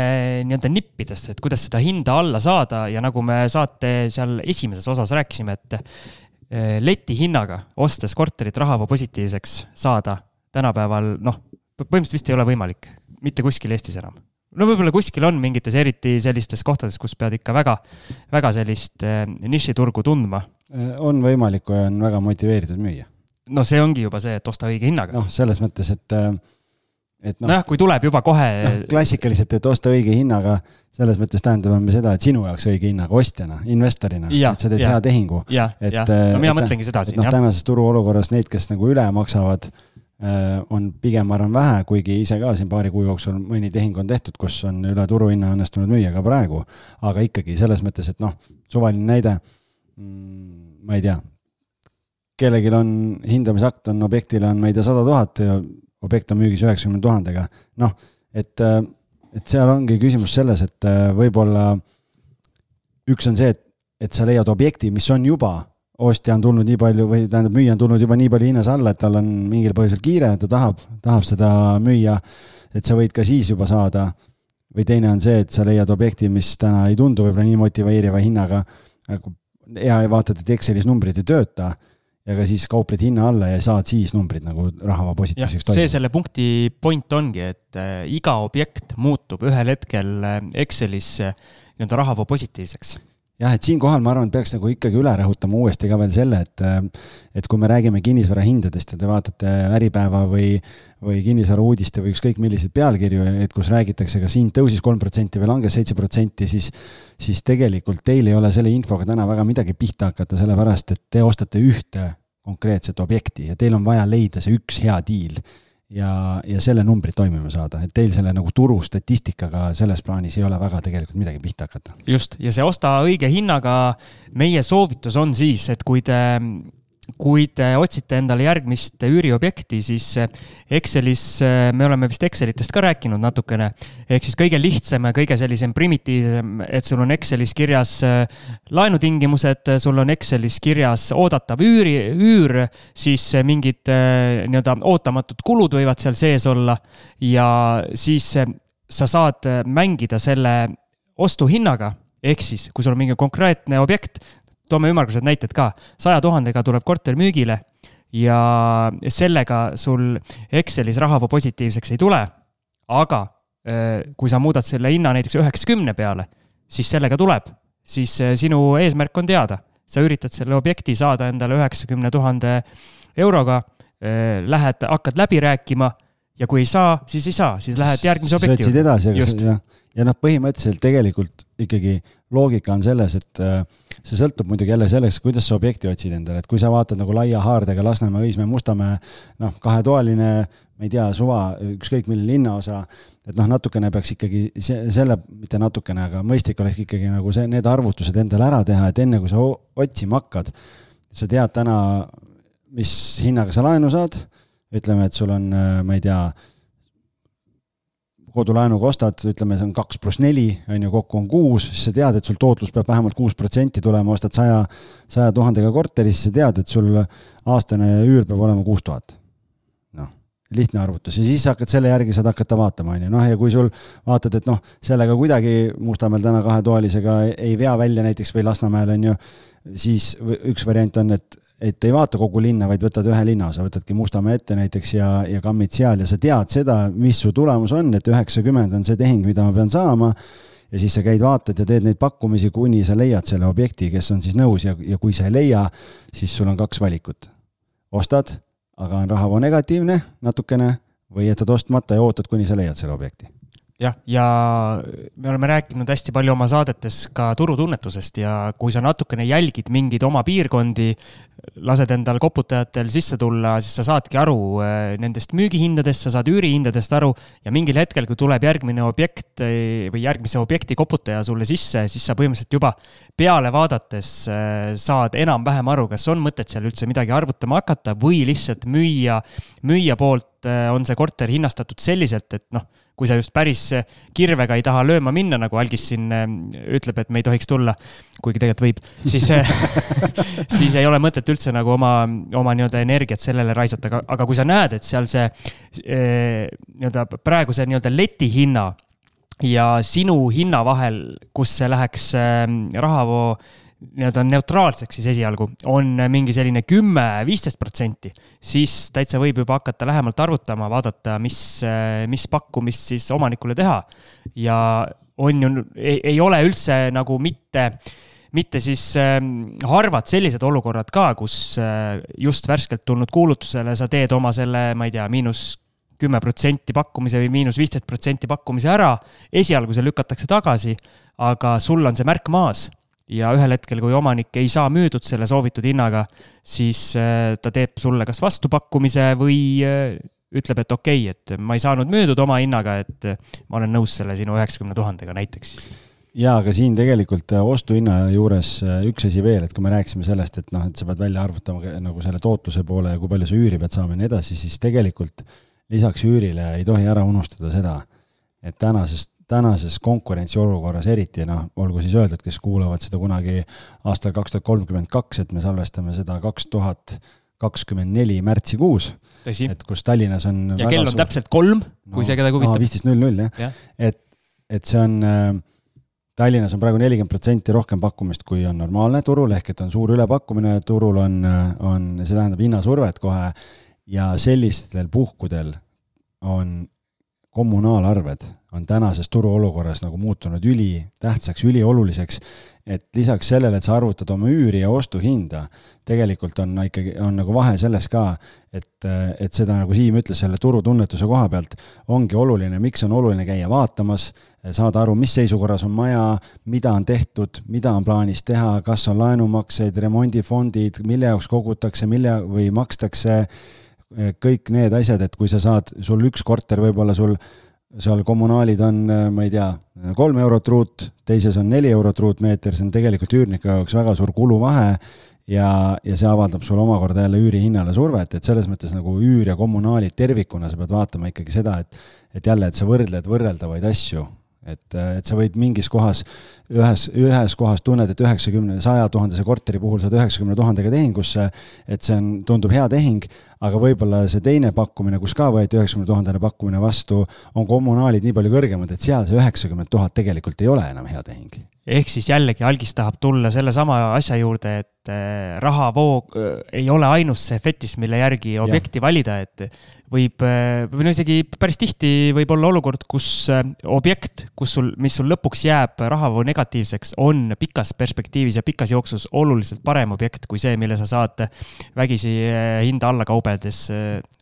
nii-öelda nippidest, et kuidas seda hinda alla saada ja nagu me saate seal esimeses osas rääkisime, et leti hinnaga ostes korterit rahava positiivseks saada tänapäeval, noh, põhimõtteliselt vist ei ole võimalik, mitte kuskil Eestis enam. No võib-olla kuskil on mingites eriti sellistes kohtades, kus pead ikka väga, väga sellist nišiturgu tundma. On võimalik, kui on väga motiveeritud müüa. No see ongi juba see, et osta õige hinnaga. Noh, selles mõttes, et et noh, nojah, kui tuleb juba kohe no, klassikaliselt, et osta õige hinnaga, selles mõttes tähendame me seda, et sinu jaoks õige hinnaga ostjana, investorina, ja, et sa teed ja, hea tehingu. Ja, et, ja. No mina et, mõtlengi seda et, siin. No, tänases turu olukorras neid, kes nagu üle maksavad, on pigem arvan vähe, kuigi ise ka siin paari kuu jooksul mõni tehing on tehtud, kus on üle turuhinna õnnestunud müüa ka praegu, aga ikkagi selles mõttes, et noh, suvaline näide, ma ei tea, kellelgi on hindamisakt, on objektile on, ma ei tea, sada tuhat ja objekt on müügis üheksakümne tuhandega. Noh, et, et seal ongi küsimus selles, et võib-olla üks on see, et, et sa leiad objekti, mis on juba, ostja on tulnud nii palju või tähendab, müüja on tulnud juba nii palju hinnas alla, et tal on mingil põhjusel kiire, ta tahab, tahab seda müüa, et sa võid ka siis juba saada. Või teine on see, et sa leiad objekti, mis täna ei tundu võib-olla nii motiveeriva hinnaga, ja vaatad, et Excelis numbrid ei tööta, ja ka siis kaupled hinna alla ja saad siis numbrid nagu rahava positiivseks toimub. See selle punkti point ongi, et iga objekt muutub ühel hetkel Excelis nii-öelda rahava positiivseks. Jah, et siin kohal ma arvan, et peaks nagu ikkagi üle rõhutama uuesti ka veel selle, et, et kui me räägime kinnisvara hindadest ja te vaatate Äripäeva või, või kinnisvara uudiste või ükskõik milliseid pealkirju, et kus räägitakse, kas hind tõusis kolm protsenti või langes seitse protsenti, siis, siis tegelikult teil ei ole selle infoga täna väga midagi pihta hakata, sellepärast, et te ostate ühte konkreetset objekti ja teil on vaja leida see üks hea diil ja, ja selle numbrid toimima saada, et teil selle nagu turu statistikaga selles plaanis ei ole väga tegelikult midagi pihta hakata. Just, ja see osta õige hinnaga meie soovitus on siis, et kui te kui te otsite endale järgmist üüriobjekti, siis Excelis, me oleme vist Excelitest ka rääkinud natukene, ehk siis kõige lihtsam ja kõige sellisem primitiivsem, et sul on Excelis kirjas laenutingimused, sul on Excelis kirjas oodatav üüri, üür, siis mingid nii-öelda ootamatud kulud võivad seal sees olla ja siis sa saad mängida selle ostuhinnaga, ehk siis kui sul on mingi konkreetne objekt, toome ümmargused näited ka, saja tuhandega tuleb korter müügile ja sellega sul Excelis rahava positiivseks ei tule, aga kui sa muudad selle hinna näiteks üheksakümne peale, siis sellega tuleb, siis sinu eesmärk on teada. Sa üritad selle objekti saada endale üheksakümne tuhande euroga, lähed, hakkad läbi rääkima ja kui ei saa, siis ei saa, siis lähed järgmise objekti. Sõtsid edasi, ja, ja noh, põhimõtteliselt tegelikult ikkagi loogika on selles, et see sõltub muidugi jälle selleks, kuidas sa objekti otsid endale, et kui sa vaatad nagu laia haardega Lasnamäe, Õismäe, Mustamäe, noh, kahetoaline, ma ei tea, suva, ükskõik milline linnaosa, et noh, natukene peaks ikkagi selle, mitte natukene, aga mõistlik oleks ikkagi nagu see, need arvutused endale ära teha, et enne kui sa otsima hakkad, sa tead täna, mis hinnaga sa laenu saad, ütleme, et sul on, ma ei tea, kodulaenuga ostad, ütleme, see on kaks pluss neli, on ju, kokku on kuus, siis sa tead, et sul tootlus peab vähemalt kuus protsenti tulema, ostad saja, saja tuhandega korteri, siis sa tead, et sul aastane üür peab olema kuus tuhat. Noh, lihtne arvutus. Ja siis hakkad selle järgi saad hakata vaatama, on ju. Noh, ja kui sul vaatad, et noh, sellega kuidagi Mustamäel täna kahetoalisega ei vea välja näiteks või Lasnamäel, on ju, siis üks variant on, et et ei vaata kogu linna, vaid võtad ühe linna osa, võtadki Mustamäe ette näiteks ja, ja kammid seal ja sa tead seda, mis su tulemus on, et üheksakümmend on see tehing, mida ma pean saama ja siis sa käid vaatad ja teed neid pakkumisi, kuni sa leiad selle objekti, kes on siis nõus ja, ja kui sa ei leia, siis sul on kaks valikut. Ostad, aga on rahava negatiivne natukene või jätad ostmata ja ootad, kuni sa leiad selle objekti. Jah, ja me oleme rääkinud hästi palju oma saadetes ka turutunnetusest ja kui sa natukene jälgid mingid oma piirkondi, lased endal koputajatel sisse tulla, siis sa saadki aru nendest müügihindadest, sa saad üürihindadest aru ja mingil hetkel, kui tuleb järgmine objekt või järgmise objekti koputaja sulle sisse, siis sa põhimõtteliselt juba peale vaadates saad enam-vähem aru, kas on mõtet seal üldse midagi arvutama hakata või lihtsalt müüa, müüa poolt on see korter hinnastatud selliselt, et noh, kui sa just päris kirvega ei taha lööma minna, nagu Algis siin ütleb, et me ei tohiks tulla, kuigi tegelikult võib, siis, siis ei ole mõtet üldse nagu oma, oma nii-öelda energiat sellele raisata, aga kui sa näed, et seal see nii-öelda praeguse nii-öelda leti hinna ja sinu hinna vahel, kus see läheks rahavoo nii-öelda neutraalseks siis esialgu, on mingi selline kümme viisteist protsenti, siis täitsa võib juba hakata lähemalt arvutama, vaadata, mis, mis pakkumist siis omanikule teha. Ja on ju, ei, ei ole üldse nagu mitte, mitte siis harvad sellised olukorrad ka, kus just värskelt tulnud kuulutusele sa teed oma selle, ma ei tea, miinus kümme protsenti pakkumise või miinus viisteist protsenti pakkumise ära, esialgu see lükatakse tagasi, aga sul on see märk maas ja ühel hetkel, kui omanik ei saa müüdud selle soovitud hinnaga, siis ta teeb sulle kas vastupakkumise või ütleb, et okei, okay, et ma ei saanud müüdud oma hinnaga, et ma olen nõus selle sinu üheksakümne tuhandega näiteks. Ja, aga siin tegelikult ostuhinna juures üks asi veel, et kui me rääksime sellest, et, noh, et sa pead välja arvutama nagu selle tootluse poole ja kui palju sa üüri pead saama ja nii edasi, siis tegelikult lisaks üürile ei tohi ära unustada seda, et tänases, tänases konkurentsiolukorras eriti, noh, olgu siis öeldud, kes kuulavad seda kunagi aastal kaks tuhat kolmkümmend kaks, et me salvestame seda kaks tuhat kakskümmend neli märtsikuus, Tõsi. et kus Tallinnas on ja kell on suur... täpselt kolm, kui no, see keda kuvitab. viisteist null null, jah. Ja. Et, et see on, Tallinnas on praegu nelikümmend protsenti rohkem pakkumist, kui on normaalne turul, ehk et on suur ülepakkumine, turul on, on see tähendab hinnasurvet kohe ja sellistel puhkudel on kommunaalarved on tänases turuolukorras nagu muutunud üli tähtsaks, üli oluliseks, et lisaks sellele, et sa arvutad oma üüri ja ostuhinda, tegelikult on ikkagi on nagu vahe selles ka, et, et seda nagu Siim ütles selle turutunnetuse koha pealt, ongi oluline, miks on oluline käia vaatamas, saada aru, mis seisukorras on maja, mida on tehtud, mida on plaanis teha, kas on laenumakseid, remondifondid, mille jaoks kogutakse, mille või makstakse, kõik need asjad, et kui sa saad, sul üks korter võib-olla sul seal kommunaalid on, ma ei tea, kolm eurot ruut, teises on neli eurot ruutmeeter, see on tegelikult üürniku jaoks väga suur kuluvahe ja, ja see avaldab sul omakorda jälle üüri hinnale survet, et selles mõttes nagu üür ja kommunaalid tervikuna sa pead vaatama ikkagi seda, et, et jälle, et sa võrdled võrreldavaid asju. Et, et sa võid mingis kohas, ühes, ühes kohas tunned, et üheksakümne, saja tuhandese korteri puhul saad üheksakümne tuhandega tehingusse, et see on, tundub hea tehing, aga võib-olla see teine pakkumine, kus ka võeti üheksakümne tuhandele pakkumine vastu, on kommunaalid nii palju kõrgemad, et seal see üheksakümmend tuhat tegelikult ei ole enam hea tehing. Ehk siis jällegi Algis tahab tulla selle sama asja juurde, et rahavoog ei ole ainus see fetis, mille järgi objekti ja. valida, et võib, või no isegi päris tihti võib olla olukord, kus objekt, kus sul, mis sul lõpuks jääb rahavoo negatiivseks, on pikas perspektiivis ja pikas jooksus oluliselt parem objekt kui see, mille sa saad vägisi hinda alla kaubedes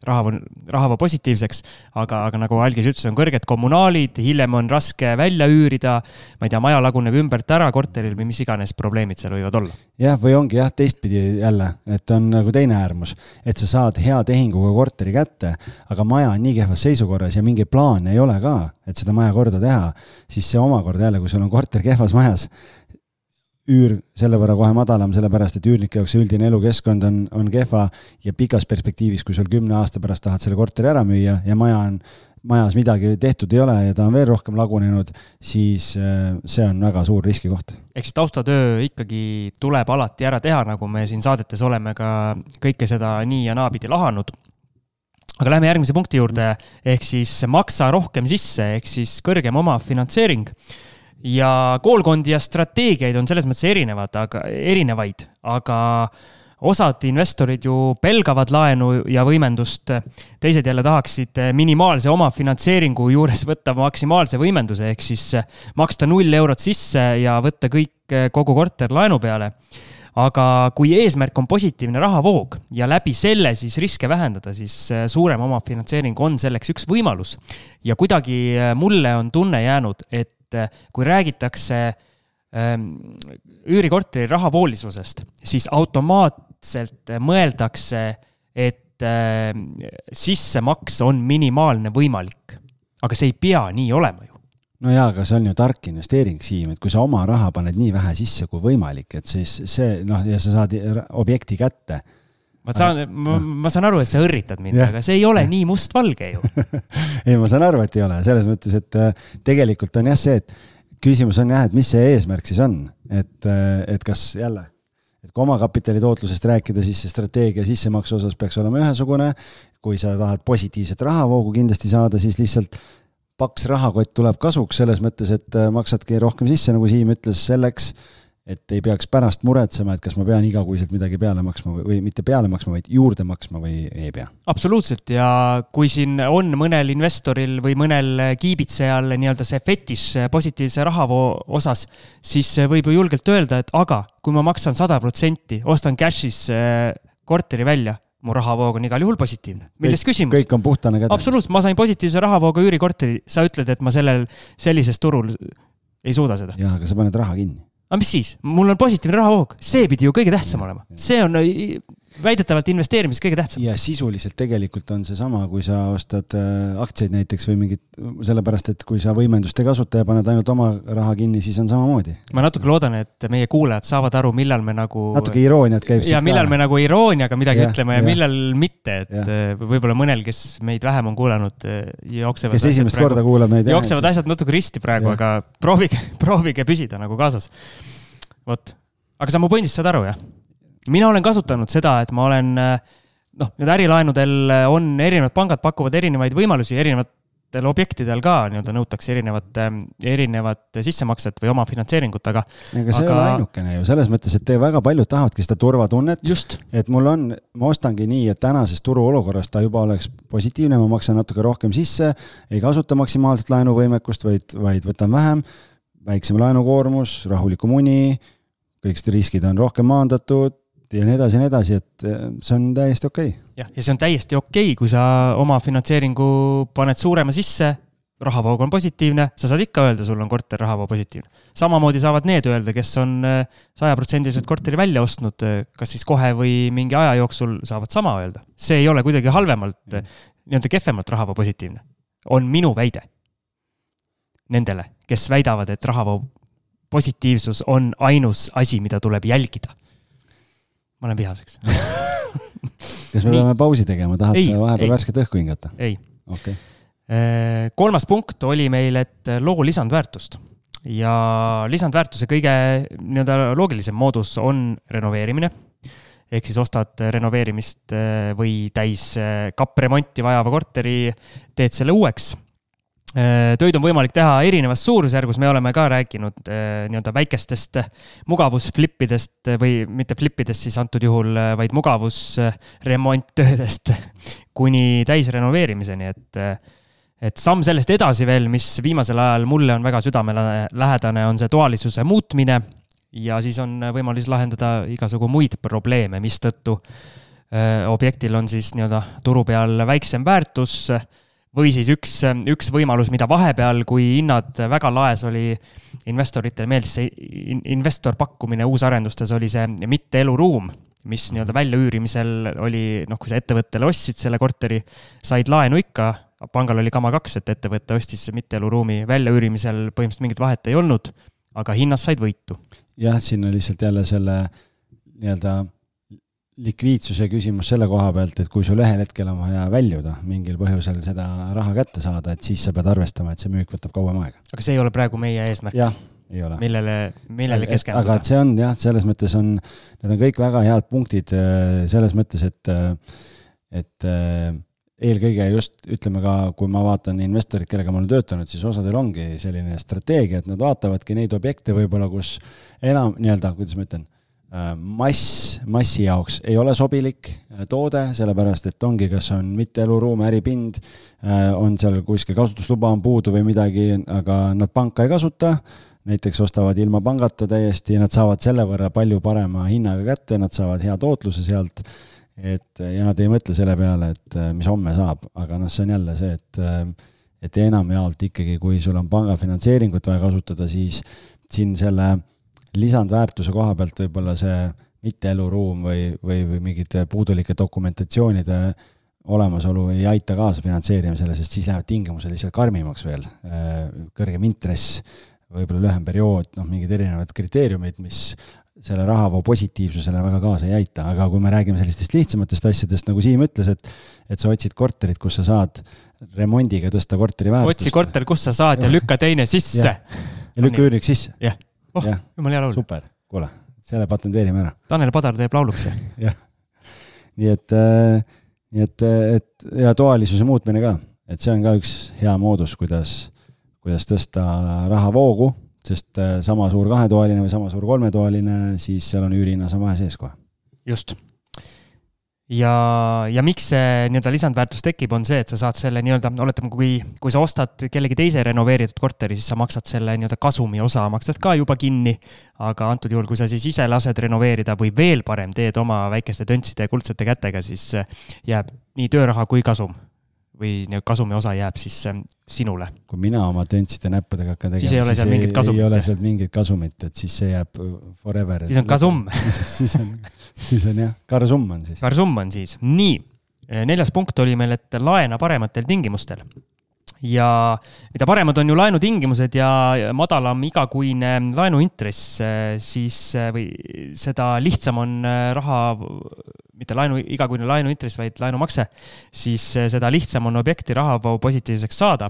rahavoo, rahavoo positiivseks, aga, aga nagu Algis ütles, on kõrged kommunaalid, hiljem on raske välja üürida, ma ei tea, maja laguneb ümbert ära korteril või mis iganes probleemid seal võivad olla. Jah, või ongi jah, teistpidi jälle, et on nagu teine äärmus, et sa saad hea tehinguga korteri kätte, aga maja on nii kehvas seisukorras ja mingi plaan ei ole ka, et seda maja korda teha, siis see omakorda jälle, kui sul on korter kehvas majas, üür selle võrra kohe madalam, sellepärast, et üürnike jaoks üldine elukeskkond on, on kehva ja pikas perspektiivis, kui sul kümne aasta pärast tahad selle korteri ära müüa ja maja on majas midagi tehtud ei ole ja ta on veel rohkem lagunenud, siis see on väga suur riskikoht. Ehk siis taustatöö ikkagi tuleb alati ära teha, nagu me siin saadetes oleme ka kõike seda nii ja naapidi lahanud. Aga lähme järgmise punkti juurde, ehk siis maksa rohkem sisse, ehk siis kõrgem oma finantseering. Ja koolkondi ja strateegiaid on selles mõttes erinevad, aga, erinevaid, aga osad investorid ju pelgavad laenu ja võimendust, teised jälle tahaksid minimaalse oma finantseeringu juures võtta maksimaalse võimenduse, ehk siis maksta null eurot sisse ja võtta kõik kogu korter laenu peale. Aga kui eesmärk on positiivne rahavoog ja läbi selle siis riske vähendada, siis suurem oma finantseering on selleks üks võimalus. Ja kuidagi mulle on tunne jäänud, et kui räägitakse üürikorteri rahavoolisusest, siis automaatselt mõeldakse, et sissemaks on minimaalne võimalik. Aga see ei pea nii olema ju. No jaa, aga see on ju tark investeering, Siim, et kui sa oma raha paned nii vähe sisse kui võimalik, et siis see, noh, ja sa saad objekti kätte. Ma saan, ma, ma saan aru, et sa õrritad mind, ja. Aga see ei ole nii mustvalge ju. Ei, ma saan aru, et ei ole. Selles mõttes, et tegelikult on jah see, et küsimus on jah, et mis see eesmärk siis on, et, et kas jälle, et kui oma kapitali tootlusest rääkida, siis see strateegia sissemaksu osas peaks olema ühesugune, kui sa tahad positiivset rahavoogu kindlasti saada, siis lihtsalt paks rahakott tuleb kasuks selles mõttes, et maksadki rohkem sisse, nagu Siim ütles, selleks, et ei peaks pärast muretsema, et kas ma pean igakuiselt midagi peale maksma või, või mitte peale maksma, vaid juurde maksma või ei pea. Absoluutselt, ja kui siin on mõnel investoril või mõnel kiibitsejal nii-öelda see fetis positiivse rahavoo osas, siis võib ju julgelt öelda, et aga kui ma maksan sada protsenti, ostan cash'is korteri välja, mu rahavoog on igal juhul positiivne. Milles kõik, küsimus? Kõik on puhtane käde. Absoluutselt, ma sain positiivse rahavooga üürikorteri, sa ütled, et ma sellel sellises turul ei suuda seda. Jaa, aga sa paned raha kinni. Aga mis siis? Mul on positiivne rahavoog. See pidi ju kõige tähtsam olema. See on väidetavalt investeerimis kõige tähtsam. Ja sisuliselt tegelikult on see sama, kui sa ostad aktsiaid näiteks või mingit, sellepärast, et kui sa võimendust ei kasuta ja paned ainult oma raha kinni, siis on samamoodi. Ma natuke loodan, et meie kuulajad saavad aru, millal me nagu... Natuke irooniat käib ja millal ka. Me nagu irooniaga midagi ja, ütleme ja, ja millal mitte, et ja. Võib-olla mõnel, kes meid vähem on kuulanud, jooksevad, kes esimest korda kuulab meid, jooksevad asjad natuke risti praegu, ja. Aga proovige, proovige püsida nagu kaasas. Vot. Aga sa mu põhindist saad aru, jah? Mina olen kasutanud seda, et ma olen, noh, nüüd ärilaenudel on erinevad pangad pakuvad erinevaid võimalusi, erinevatel objektidel ka nii-öelda nõutakse erinevat, erinevat sissemakset või oma finantseeringut, aga... Aga see aga... ei ole ainukene ju, selles mõttes, et te väga paljud tahavadki seda turvatunnet, just. Et mul on, ma ostangi nii, et tänases turu olukorras ta juba oleks positiivne, ma maksan natuke rohkem sisse, ei kasuta maksimaalselt laenuvõimekust, vaid, vaid võtan vähem, väiksem laenukoormus, rahuliku muni, kõik riskid on rohkem maandatud, ja nii edasi ja nii edasi, et see on täiesti okei. Jah, ja see on täiesti okei, kui sa oma finantseeringu paned suurema sisse, rahavoog on positiivne, sa saad ikka öelda, sul on korter rahavoog positiivne. Samamoodi saavad need öelda, kes on sada protsenti korteri välja ostnud, kas siis kohe või mingi aja jooksul saavad sama öelda. See ei ole kuidagi halvemalt, nii-öelda kehvemalt rahavoog positiivne. On minu väide nendele, kes väidavad, et rahavoog positiivsus on ainus asi, mida tuleb jälgida. Ma olen vihaseks. Kas me peame pausi tegema? Tahad sa vahepeal värsket õhku hingata? Ei. Okay. Kolmas punkt oli meil, et loo lisandväärtust. Ja lisandväärtuse kõige nii-öelda loogilisem moodus on renoveerimine. Ehk siis ostad renoveerimist või täis kappremonti vajava korteri, teed selle uueks. Töid on võimalik teha erinevas suurusjärgus, me oleme ka rääkinud nii-öelda väikestest mugavusflippidest või mitte flippidest siis antud juhul, vaid mugavusremonttöödest kuni täisrenoveerimiseni, et, et samm sellest edasi veel, mis viimasel ajal mulle on väga südamelähedane, on see toalisuse muutmine ja siis on võimalus lahendada igasugu muid probleeme, mis tõttu objektil on siis nii-öelda turu peal väiksem väärtus või siis üks, üks võimalus, mida vahepeal, kui hinnad väga laes oli investoritel meeldis see investor pakkumine uusarendustes oli see mitte eluruum, mis nii-öelda välja üürimisel oli, noh, kui sa ettevõttele ostsid selle korteri, said laenu ikka, pangal oli kama kaks, et ettevõtte ostis mitte eluruumi välja üürimisel, põhimõtteliselt mingit vahet ei olnud, aga hinnas said võitu. Jah, siin on lihtsalt jälle selle nii-öelda likviidsuse küsimus selle koha pealt, et kui sul ühel hetkel on vaja väljuda mingil põhjusel seda raha kätte saada, et siis sa pead arvestama, et see müük võtab kauem aega. Aga see ei ole praegu meie eesmärk. Jah, ei ole. Millele, millele keskenduda. Aga see on jah, selles mõttes on, need on kõik väga head punktid selles mõttes, et, et eelkõige just ütleme ka, kui ma vaatan investorid, kellega ma olen töötanud, siis osadel ongi selline strateegia, et nad vaatavadki neid objekte võib-olla, kus enam nii-öelda, kuidas ma ütlen, mass, massi jaoks ei ole sobilik toode, sellepärast, et ongi, kas on mitte eluruum, äripind, on seal kuskil kasutusluba on puudu või midagi, aga nad panka ei kasuta, näiteks ostavad ilma pangata täiesti, nad saavad selle võrra palju parema hinnaga kätte, nad saavad hea tootluse sealt, et, ja nad ei mõtle selle peale, et mis homme saab, aga noh, see on jälle see, et, et enam jaolt ikkagi, kui sul on pangafinantseeringut vaja kasutada, siis siin selle lisandväärtuse koha pealt võib-olla see mitte eluruum või, või, või mingite puudulike dokumentatsioonide olemasolu ei aita kaasa finantseerimisele, sest siis lähevad tingimused lihtsalt karmimaks veel. Kõrgem intress, võib-olla lühem periood, noh, mingid erinevad kriteeriumid, mis selle rahavoo positiivsusele väga kaasa ei aita, aga kui me räägime sellistest lihtsamatest asjadest, nagu Siim ütles, et, et sa otsid korterit, kus sa saad remondiga tõsta korteri väärtust. Otsi korter, kus sa saad ja lükka teine sisse. Ja, ja lükka üüriks sisse. Jah. Oh, ja. Jumal hea laul. Super, kuule, selle patenteerime ära. Tanel Padar teeb lauluks. Jah, nii et, nii et, et ja toalisuse muutmine ka, et see on ka üks hea moodus, kuidas, kuidas tõsta rahavoogu, sest sama suur kahetoaline või sama suur kolmetoaline, siis seal on üürihinnas on vahe sees kohe. Just. ja, ja miks see nii-öelda lisandväärtus tekib, on see, et sa saad selle nii-öelda, oletame, kui, kui sa ostad kellegi teise renoveeritud korteri, siis sa maksad selle nii-öelda kasumi osa, maksad ka juba kinni, aga antud juhul, kui sa siis ise lased renoveerida või veel parem teed oma väikeste töntside ja kuldsete kätega, siis jääb nii tööraha kui kasum või kasumi osa jääb siis sinule. Kui mina oma töntside näppudega hakkan tegema, siis ei ole seal mingit kasumit. Ei ole seal mingit kasumit, et siis see jääb forever. Siis on kasum. siis, siis, on, siis on jah, karsum on siis. Karsum on siis. Nii, neljas punkt oli meil, et laena parematel tingimustel. Ja mida paremad on ju laenutingimused ja madalam igakuine laenuintress, siis või seda lihtsam on raha, mitte laenu, igakuine laenuintress, vaid laenumakse, siis seda lihtsam on objekti raha positiivseks saada.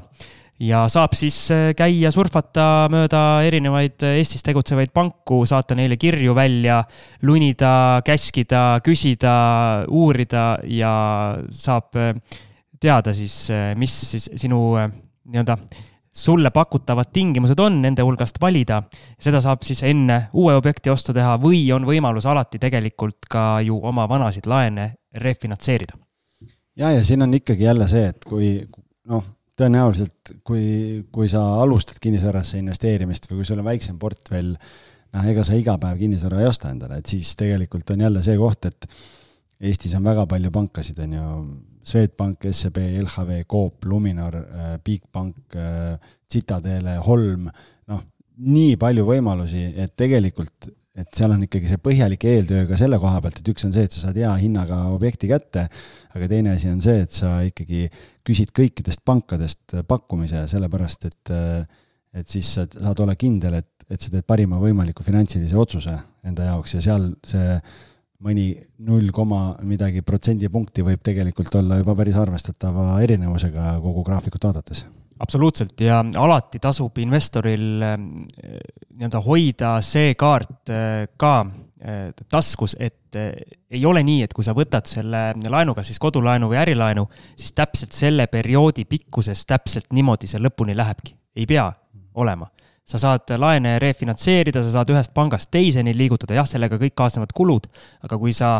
Ja saab siis käia surfata mööda erinevaid Eestis tegutsevaid panku, saata neile kirju välja, lunida, käskida, küsida, uurida ja saab teada siis, mis siis sinu nii-öelda sulle pakutavad tingimused on, nende hulgast valida. Seda saab siis enne uue objekti ostu teha või on võimalus alati tegelikult ka ju oma vanasid laene refinantseerida. Ja, ja siin on ikkagi jälle see, et kui noh, tõenäoliselt, kui, kui sa alustad kinnisvarasse investeerimist või kui sul on väiksem portfell, noh, ega sa iga päev kinnisvara ei osta endale, et siis tegelikult on jälle see koht, et Eestis on väga palju pankasid, on ju Swedbank, S E B, L H V, Coop, Luminor, Bigbank, Citadele, Holm, noh, nii palju võimalusi, et tegelikult, et seal on ikkagi see põhjalik eeltöö ka selle koha pealt, et üks on see, et sa saad hea hinnaga objekti kätte, aga teine asi on see, et sa ikkagi küsid kõikidest pankadest pakkumise, sellepärast, et, et siis sa saad olla kindel, et, et sa teed parima võimaliku finantsilise otsuse enda jaoks ja seal see mõni null koma midagi protsendipunkti võib tegelikult olla juba päris arvestatava erinevusega kogu graafikut vaadates. Absoluutselt ja alati tasub investoril nii-öelda hoida see kaart ka taskus, et ei ole nii, et kui sa võtad selle laenuga, siis kodulaenu või ärilaenu, siis täpselt selle perioodi pikkuses täpselt niimoodi see lõpuni lähebki. Ei pea olema. Sa saad laene refinantseerida, sa saad ühest pangast teiseni liigutada, jah, sellega kõik kaasnevad kulud, aga kui sa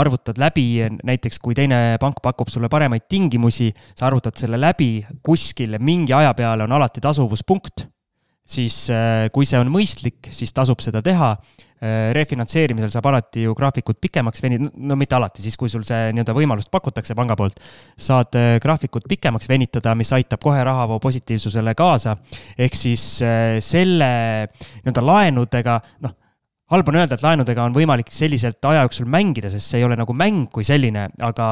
arvutad läbi, näiteks kui teine pank pakub sulle paremaid tingimusi, sa arvutad selle läbi kuskil mingi aja peale on alati tasuvuspunkt, siis kui see on mõistlik, siis tasub seda teha. Refinantseerimisel saab alati ju graafikut pikemaks venida, no mitte alati, siis kui sul see nii-öelda võimalust pakutakse panga poolt, saad graafikut pikemaks venitada, mis aitab kohe rahavoo positiivsusele kaasa, ehk siis selle nii-öelda laenudega, noh, halb on öelda, et laenudega on võimalik selliselt aja jooksul mängida, sest see ei ole nagu mäng kui selline, aga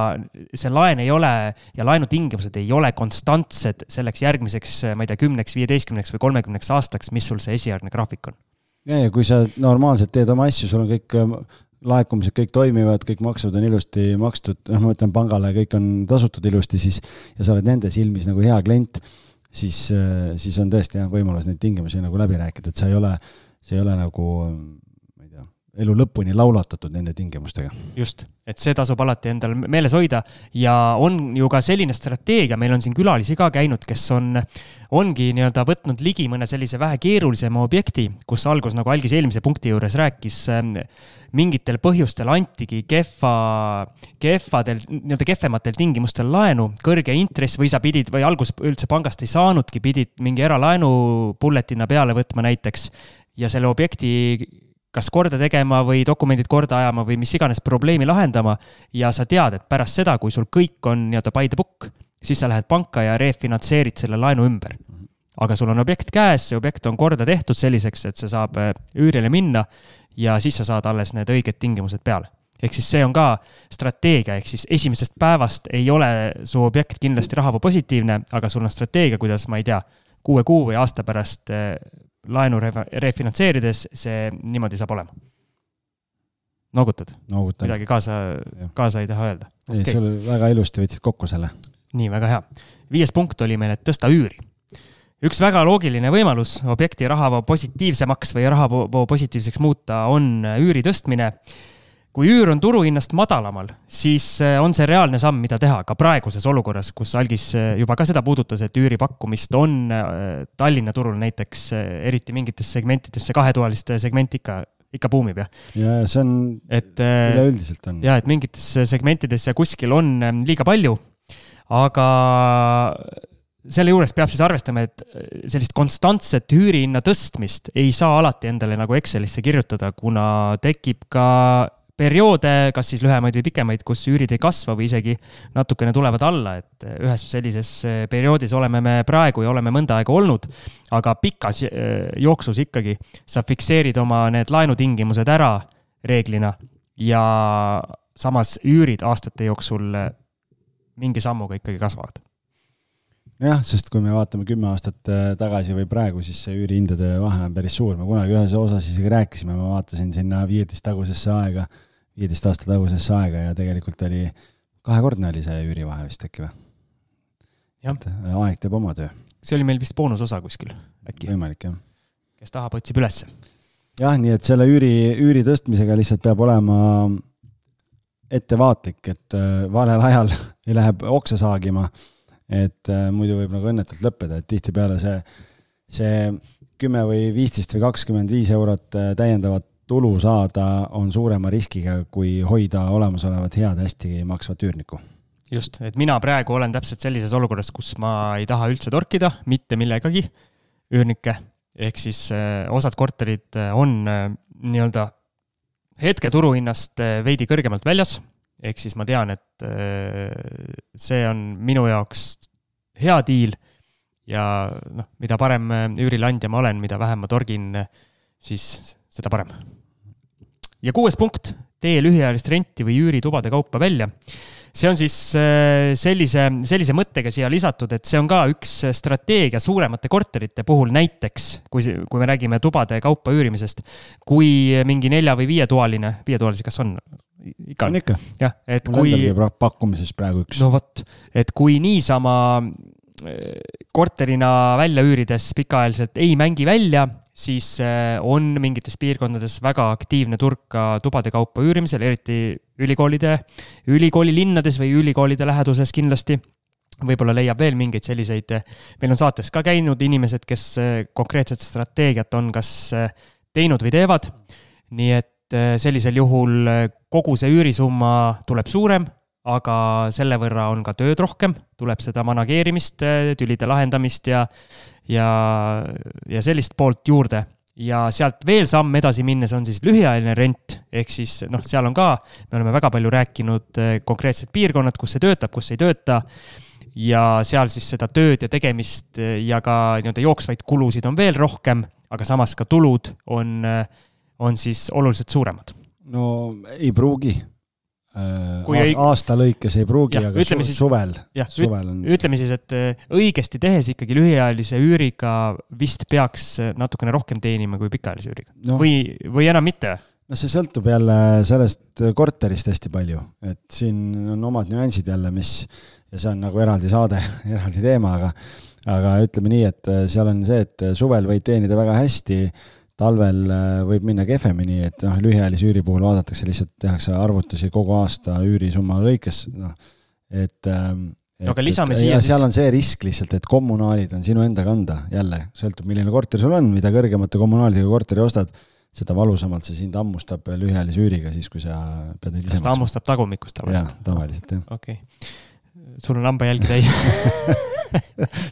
see laen ei ole ja laenutingimused ei ole konstantsed selleks järgmiseks, ma ei tea, kümneks, viieteistkümneks või kolmekümneks aastaks, mis sul see esialgne graafik on. Ja, ja kui sa normaalselt teed oma asju, sul on kõik laekumised, kõik toimivad, kõik maksud on ilusti makstud, noh, ma mõtlen pangale, kõik on tasutud ilusti, siis, ja sa oled nende silmis nagu hea klient, siis, siis on tõesti hea võimalus neid tingimusi nagu läbi rääkida, et sa ei ole, see ei ole nagu, ma ei tea, elu lõpuni laulatatud nende tingimustega. Just, et see tasub alati endal meeles hoida ja on ju ka selline strateegia, meil on siin külalisi ka käinud, kes on, ongi nii-öelda võtnud ligi mõne sellise vähe keerulisema objekti, kus algus, nagu Algis eelmise punkti juures rääkis, mingitel põhjustel antigi kehva, kehvadel, nii-öelda kehvematel tingimustel laenu, kõrge intress või sa pidid, või algus üldse pangast ei saanudki, pidid mingi eralaenu bulletina peale võtma näiteks ja selle objekti kas korda tegema või dokumendid korda ajama või mis iganes probleemi lahendama ja sa tead, et pärast seda, kui sul kõik on nii-öelda by the book, siis sa lähed panka ja refinantseerid selle laenu ümber. Aga sul on objekt käes, see objekt on korda tehtud selliseks, et see saab üürile minna ja siis sa saad alles need õiged tingimused peale. Ehk siis see on ka strateegia, ehk siis esimesest päevast ei ole su objekt kindlasti rahava positiivne, aga sul on strateegia, kuidas, ma ei tea, kuue kuu või aasta pärast laenu refinantseerides, see niimoodi saab olema. Noogutad? Noogutan. Midagi kaasa, kaasa ei taha öelda. Ei, okay. Sul väga ilusti võtsid kokku selle. Nii, väga hea. Viies punkt oli meil, et tõsta üüri. Üks väga loogiline võimalus objekti rahavoo positiivsemaks või rahavoo positiivseks muuta on üüri tõstmine. Kui üür on turuhinnast madalamal, siis on see reaalne samm, mida teha ka praeguses olukorras, kus Algis juba ka seda puudutas, et üüri pakkumist on Tallinna turul näiteks eriti mingites segmentidesse, kahetoaliste segment ikka ikka buumib jah. Ja see on et, üleüldiselt on. Ja, et mingites segmentides ja kuskil on liiga palju, aga selle juures peab siis arvestama, et sellist konstantset üürihinna tõstmist ei saa alati endale nagu Excelisse kirjutada, kuna tekib ka perioode, kas siis lühemaid või pikemaid, kus üürid ei kasva või isegi natukene tulevad alla, et ühes sellises perioodis oleme me praegu ja oleme mõnda aega olnud, aga pikas jooksus ikkagi sa fikseerid oma need laenutingimused ära reeglina ja samas üürid aastate jooksul mingi sammuga ikkagi kasvavad. Jah, sest kui me vaatame kümme aastat tagasi või praegu, siis see üürihindade vahe on päris suur. Me kunagi ühes osas isegi rääkisime, ma vaatasin sinna viieteist tagusesse aega, viieteist aasta tagusesse aega ja tegelikult oli kahekordne oli see üürivahe vist äkki või? Aeg teeb oma töö. See oli meil vist boonusosa kuskil äkki. Võimalik, jah. Kes tahab, otsib ülesse. Jah, nii et selle üüri, üüri tõstmisega lihtsalt peab olema ettevaatlik, et valel ajal ei lähe oksa saagima, et muidu võib nagu õnnetult lõppeda, et tihti peale see, see kümme või viisteist või kakskümmend viis eurot täiendavat tulu saada on suurema riskiga, kui hoida olemasolevat head hästi maksvat üürnikku. Just, et mina praegu olen täpselt sellises olukorras, kus ma ei taha üldse torkida, mitte millegagi üürnikke, ehk siis osad korterid on nii-öelda hetke turuhinnast veidi kõrgemalt väljas, ehk siis ma tean, et see on minu jaoks hea diil ja noh, mida parem üürilandja ma olen, mida vähem ma torgin, siis seda parem. Ja kuues punkt, tee lühiajalist renti või üüritubade kaupa välja. See on siis sellise, sellise mõttega siia lisatud, et see on ka üks strateegia suuremate korterite puhul näiteks, kui, kui me räägime tubade kaupa üürimisest, kui mingi nelja või viietualine, viietualisi kas on? Ikka on ikka. Jah, et mul kui... endalgi pakkumises praegu üks. No võt, et kui niisama korterina välja üürides pikaajaliselt ei mängi välja, siis on mingites piirkondades väga aktiivne turg ka tubade kaupa üürimisel, eriti ülikoolide, ülikooli linnades või ülikoolide läheduses kindlasti. Võib-olla leiab veel mingeid selliseid, meil on saates ka käinud inimesed, kes konkreetset strateegiat on kas teinud või teevad, nii et sellisel juhul kogu see üürisumma tuleb suurem, aga selle võrra on ka tööd rohkem, tuleb seda manageerimist, tülide lahendamist ja, ja, ja sellist poolt juurde. Ja sealt veel samm edasi minnes on siis lühiajaline rent, ehk siis noh, seal on ka, me oleme väga palju rääkinud konkreetsed piirkonnad, kus see töötab, kus ei tööta, ja seal siis seda tööd ja tegemist ja ka nii-öelda jooksvaid kulusid on veel rohkem, aga samas ka tulud on, on siis oluliselt suuremad. No ei pruugi. Kui ei... aasta lõikes ei pruugi, ja, aga su- siis, suvel, jah, suvel on... Ütleme siis, et õigesti tehes ikkagi lühiajalise üüriga vist peaks natukene rohkem teenima kui pikaajalise üüriga. No, või, või enam mitte? No see sõltub jälle sellest korterist hästi palju, et siin on omad nüansid jälle, mis, ja see on nagu eraldi saade, eraldi teema, aga, aga ütleme nii, et seal on see, et suvel võid teenida väga hästi, talvel võib minna kehvemini, et noh, lühiajalise üüri puhul vaadatakse, lihtsalt tehakse arvutusi kogu aasta üürisumma lõikes, noh, et, et, no, et ja siis... seal on see risk lihtsalt, et kommunaalid on sinu enda kanda, jälle, sõltub milline korter sul on, mida kõrgemate kommunaalidega korteri ostad, seda valusamalt see sind ammustab lühiajalise üüriga, siis kui sa pead neid ise... Kas ta ammustab tagumikust tavaliselt? Jah, tavaliselt, jah. Okei. Okay. Sul on lamba jälgi täis.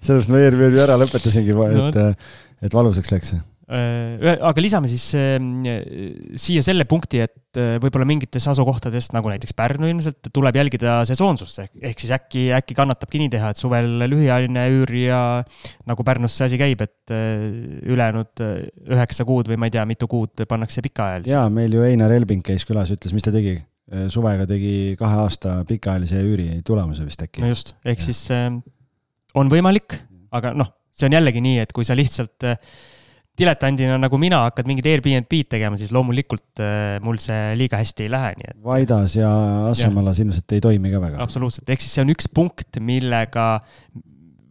Sellest ma eelmine ära lõpetasingi, et, no. et valusaks läks. Aga lisame siis siia selle punkti, et võib-olla mingites asukohtadest, nagu näiteks Pärnu ilmselt, tuleb jälgida sesoonsust, ehk siis äkki, äkki kannatabki nii teha, et suvel lühiajaline üür ja nagu Pärnus see asi käib, et ülejäänud üheksa kuud või ma ei tea, mitu kuud pannakse pikaajalise. Jaa, meil ju Einar Elbing käis külas, ütles, mis ta tegi? Suvega tegi kahe aasta pikaajalise üüri tulemuse vist äkki. No just, ehk ja. Siis on võimalik, aga noh, see on jällegi nii, et kui sa lihtsalt diletandina nagu mina hakkad mingid Airbnb-d tegema, siis loomulikult mul see liiga hästi ei lähe. Nii et... Vaidas ja Asemalas ja. Ilmselt ei toimi ka väga. Absoluutselt, ehk siis see on üks punkt, millega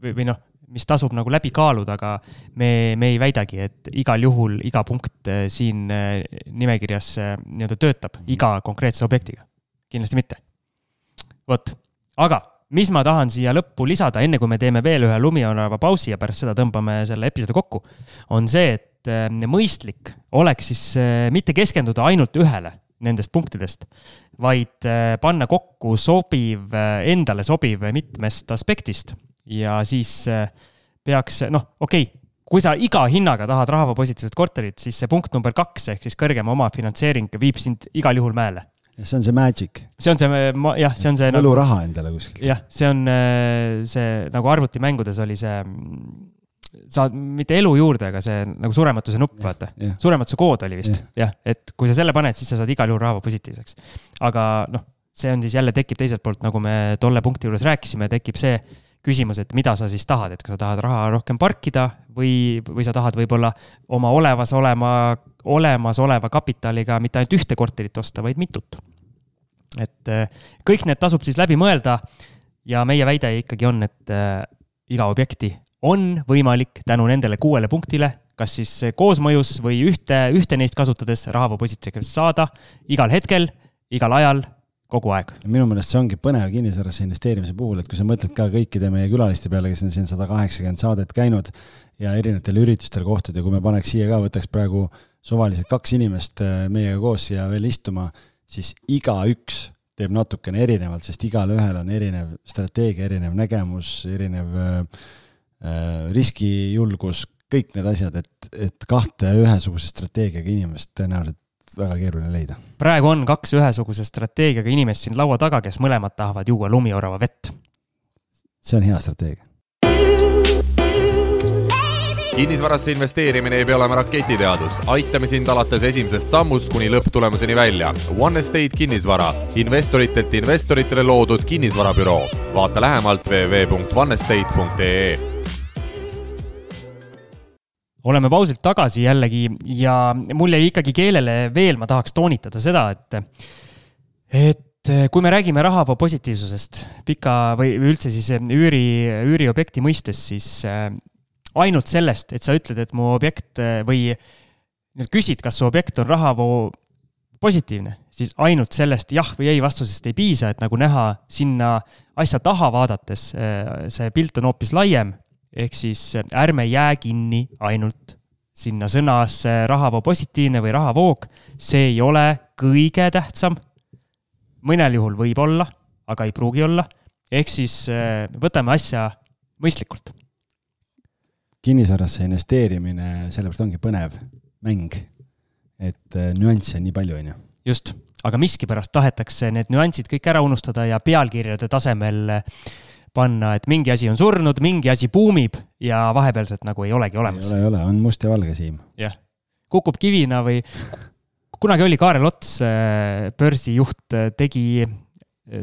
või, või noh, mis tasub nagu läbi kaaluda, aga me, me ei väidagi, et igal juhul iga punkt siin nimekirjas nii-öelda töötab iga konkreetse objektiga. Kindlasti mitte. Vot, aga mis ma tahan siia lõppu lisada, enne kui me teeme veel ühe lumionarva pausi ja pärast seda tõmbame selle episoodi kokku, on see, et mõistlik oleks siis mitte keskenduda ainult ühele nendest punktidest, vaid panna kokku sobiv, endale sobiv mitmest aspektist ja siis peaks, noh, okei, okay, kui sa iga hinnaga tahad rahava positiivset korterit, siis see punkt number kaks ehk siis kõrgema oma finantseering viib sind igal juhul mäele. See on see magic. See on see, jah, see on see... Mõlu raha endale kuskilt. Jah, see on see, nagu arvutimängudes oli see, saad mitte elu juurde, aga see nagu surematuse nupp, ja, vaata. Ja. Surematuse kood oli vist, ja. jah, et kui sa selle paned, siis sa saad igal juhul rahva positiivseks. Aga noh, see on siis jälle tekib teiselt poolt, nagu me tolle punkti juures rääkisime, tekib see küsimus, et mida sa siis tahad, et kas sa tahad raha rohkem parkida või, või sa tahad võib-olla oma olevas olema, olemas oleva kapitaliga mitte ainult ühte korterit osta, vaid mitut. Et kõik need tasub siis läbi mõelda ja meie väide ikkagi on, et iga objekti on võimalik tänu nendele kuuele punktile, kas siis koosmõjus või ühte, ühte neist kasutades rahava positiivseks saada igal hetkel, igal ajal, kogu aeg. Minu meelest see ongi põnev kinnisvarasse investeerimise puhul, et kui sa mõtled ka kõikide meie külaliste peale, kes on siin sada kaheksakümmend saadet käinud ja erinevatel üritustel kohtud ja kui me paneks siia ka, võtaks praegu suvaliselt kaks inimest meiega koos ja veel istuma, siis iga üks teeb natukene erinevalt, sest igal ühel on erinev strateegia, erinev nägemus, erinev riskijulgus, kõik need asjad, et, et kahte ühesuguse strateegiaga inimest tõenäoliselt väga keeruline leida. Praegu on kaks ühesuguse strateegiaga inimest siin laua taga, kes mõlemad tahavad juua lumiorava vett. See on hea strateegia. Kinnisvarasse investeerimine ei pea olema raketiteadus. Aitame sind alates esimesest sammust kuni lõpptulemuseni välja. One Estate kinnisvara. Investoritelt investoritele loodud kinnisvarabüroo. Vaata lähemalt w w w punkt one estate punkt e e. Oleme pausilt tagasi jällegi ja mul jäi ikkagi keelele veel, ma tahaks toonitada seda, et, et kui me räägime rahava positiivsusest pika või üldse siis üüri, üüriobjekti mõistes, siis ainult sellest, et sa ütled, et mu objekt või küsid, kas su objekt on rahavoo positiivne, siis ainult sellest jah või ei vastusest ei piisa, et nagu näha sinna asja taha vaadates, see pilt on hoopis laiem, ehk siis ärme jää kinni ainult sinna sõnasse rahavoo positiivne või rahavoog, see ei ole kõige tähtsam. Mõnel juhul võib olla, aga ei pruugi olla, ehk siis võtame asja mõistlikult. Kinnisvarasse investeerimine sellepärast ongi põnev mäng, et nüansse on nii palju, on ju. Just, aga miski pärast tahetakse need nüansid kõik ära unustada ja pealkirjade tasemel panna, et mingi asi on surnud, mingi asi puumib ja vahepealselt nagu ei olegi olemas. Ei ole, ei ole, on must ja valge siim. Jah, kukub kivina või kunagi oli Kaarel Ots, börsijuht, tegi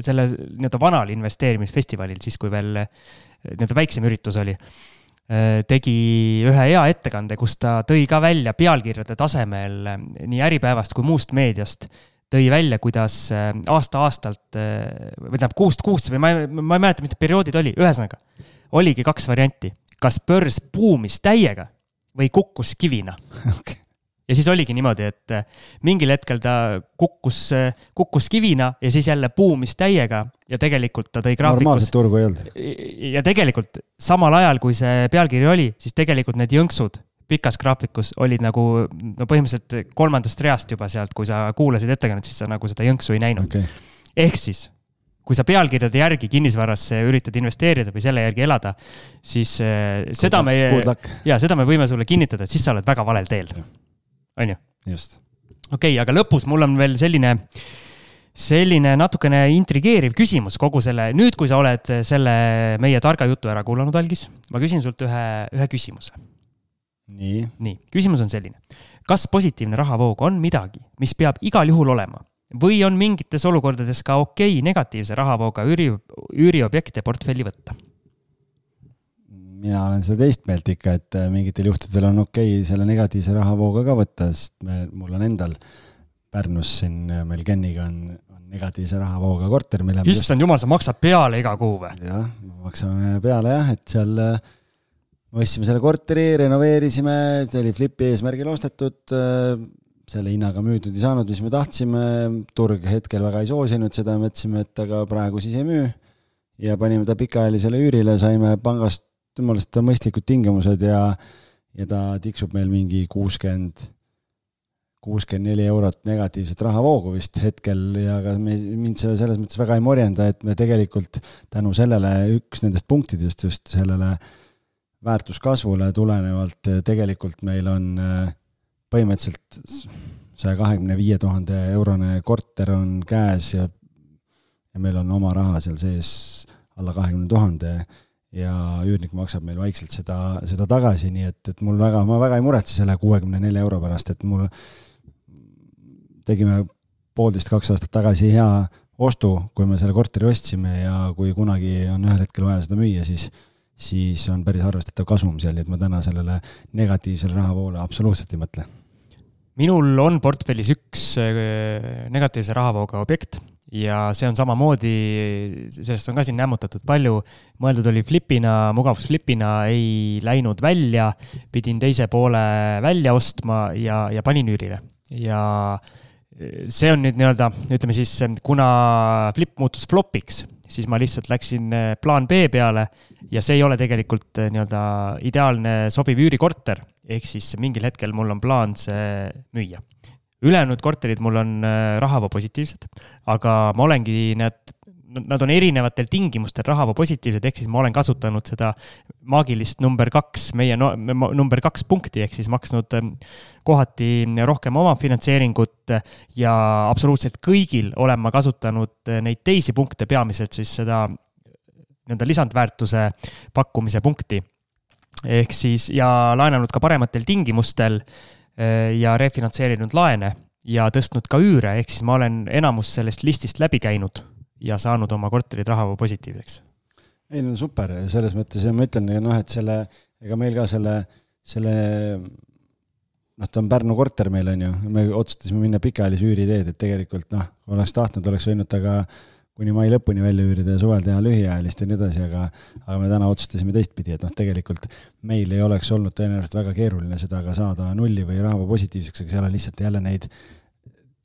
selle nii-öelda vanal investeerimisfestivalil, siis kui veel nii-öelda väiksem üritus oli, tegi ühe hea ettekande, kus ta tõi ka välja pealkirjade tasemel nii Äripäevast kui muust meediast, tõi välja, kuidas aasta-aastalt, või tähendab kuust kuust, või ma ei, ma ei mäleta, mis perioodid oli, ühesõnaga, oligi kaks varianti. Kas börs puumis täiega või kukkus kivina? Okay. Ja siis oligi niimoodi, et mingil hetkel ta kukkus, kukkus kivina ja siis jälle puumis täiega ja tegelikult ta tõi graafikus. Normaalset turgu ei olnud. Ja tegelikult samal ajal, kui see pealkiri oli, siis tegelikult need jõnksud pikas graafikus olid nagu no põhimõtteliselt kolmandast reast juba sealt, kui sa kuulasid ettekannet, siis sa nagu seda jõnksu ei näinud. Okay. Ehk siis, kui sa pealkirjade järgi kinnisvarasse üritad investeerida või selle järgi elada, siis seda me, ja, seda me võime sulle kinnitada, et siis sa oled väga valel teel. On ju? Just. Okei, okay, aga lõpus mul on veel selline, selline natukene intrigeeriv küsimus kogu selle. Nüüd, kui sa oled selle meie targa jutu ära kuulanud, Algis, ma küsin sult ühe, ühe küsimuse. Nii. Nii, küsimus on selline. Kas positiivne rahavoog on midagi, mis peab igal juhul olema? Või on mingites olukordades ka okei negatiivse rahavooga üüri, üüriobjekte portfelli võtta? Mina olen seda teist meelt ikka, et mingitel juhtudel on okei selle negatiivse rahavooga ka võtta, sest me, mul on endal Pärnus siin meil Kenniga on, on negatiivse rahavooga korter, mille Issand jumal, sa maksad peale iga kuu või? Jah, maksame peale jah, et seal võtsime selle korteri, renoveerisime, see oli flipi eesmärgil ostetud, selle hinnaga müüdud ei saanud, mis me tahtsime, turg hetkel väga ei soosinud seda, mõtlesime, et aga praegu siis ei müü ja panime ta pikaajalisele üürile, saime pangast mõelest mõistlikud tingimused ja, ja ta tiksub meil mingi kuuskümmend kuuskümmend neli eurot negatiivset rahavoogu vist hetkel ja ka me, mind see selles mõttes väga ei morjenda, et me tegelikult tänu sellele üks nendest punktidest just sellele väärtuskasvule tulenevalt tegelikult meil on põhimõtteliselt saja kahekümne viie tuhande eurone korter on käes ja, ja meil on oma raha seal sees alla kahekümne tuhande ja üürnik maksab meil vaikselt seda, seda tagasi, nii et, et mul väga, ma väga ei muretse selle kuuekümne nelja euro pärast, et mul tegime poolteist kaks aastat tagasi hea ostu, kui me selle korteri ostsime ja kui kunagi on ühel hetkel vaja seda müüa, siis, siis on päris arvestatav kasum seal, et ma täna sellele negatiivsele rahavoole absoluutselt ei mõtle. Minul on portfellis üks negatiivse rahavooga objekt ja see on samamoodi, sellest on ka siin nämmutatud palju, mõeldud oli flipina, mugavusflipina, ei läinud välja, pidin teise poole välja ostma ja, ja panin üürile. Ja see on nüüd nii-öelda, ütleme siis, kuna flip muutus flopiks, siis ma lihtsalt läksin plaan B peale ja see ei ole tegelikult nii-öelda ideaalne sobiv üürikorter, ehk siis mingil hetkel mul on plaan see müüa. Ülejäänud korterid mul on rahavoo positiivsed, aga ma olengi, need, nad on erinevatel tingimustel rahavoo positiivsed, ehk siis ma olen kasutanud seda maagilist number kaks, meie no, number kaks punkti, ehk siis maksnud kohati rohkem oma finantseeringut ja absoluutselt kõigil olen ma kasutanud neid teisi punkte, peamiselt siis seda nii-öelda lisandväärtuse pakkumise punkti. Ehk siis ja laenanud ka parematel tingimustel ja refinantseerinud laene ja tõstnud ka üüre, ehk siis ma olen enamus sellest listist läbi käinud ja saanud oma korterid rahavoo positiivseks. Ei, no super, selles mõttes ja ma ütlen, noh, et selle, ega meil ka selle, selle noh, ta on Pärnu korter meil on ju, me otsustasime minna pikaajalise üüriteed, et tegelikult noh, kui oleks tahtnud, oleks võinud taga kuni mai lõpuni välja üürida ja suvel teha lühiajalist ja nii edasi, aga, aga me täna otsustasime teistpidi, et noh, tegelikult meil ei oleks olnud tõenäoliselt väga keeruline seda ka saada nulli või rahavoo positiivseks, aga seal on lihtsalt jälle neid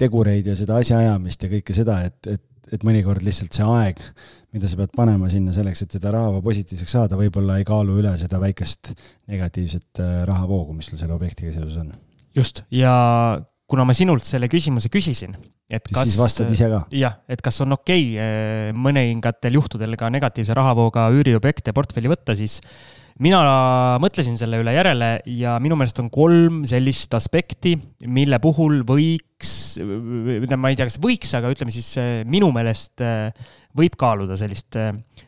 tegureid ja seda asjaajamist ja kõike seda, et, et, et mõnikord lihtsalt see aeg, mida sa pead panema sinna selleks, et seda rahavoo positiivseks saada, võib-olla ei kaalu üle seda väikest negatiivset rahavoogu, mis sul selle objektiga seoses on. Just, ja kuna ma sinult selle küsimuse küsisin, et kas, siis vastad ise ka. Jah, et kas on okei mõningatel juhtudel ka negatiivse rahavooga üüriobjekte portfelli võtta, siis mina mõtlesin selle üle järele ja minu meelest on kolm sellist aspekti, mille puhul võiks, ma ei tea, kas võiks, aga ütleme siis minu meelest võib kaaluda sellist,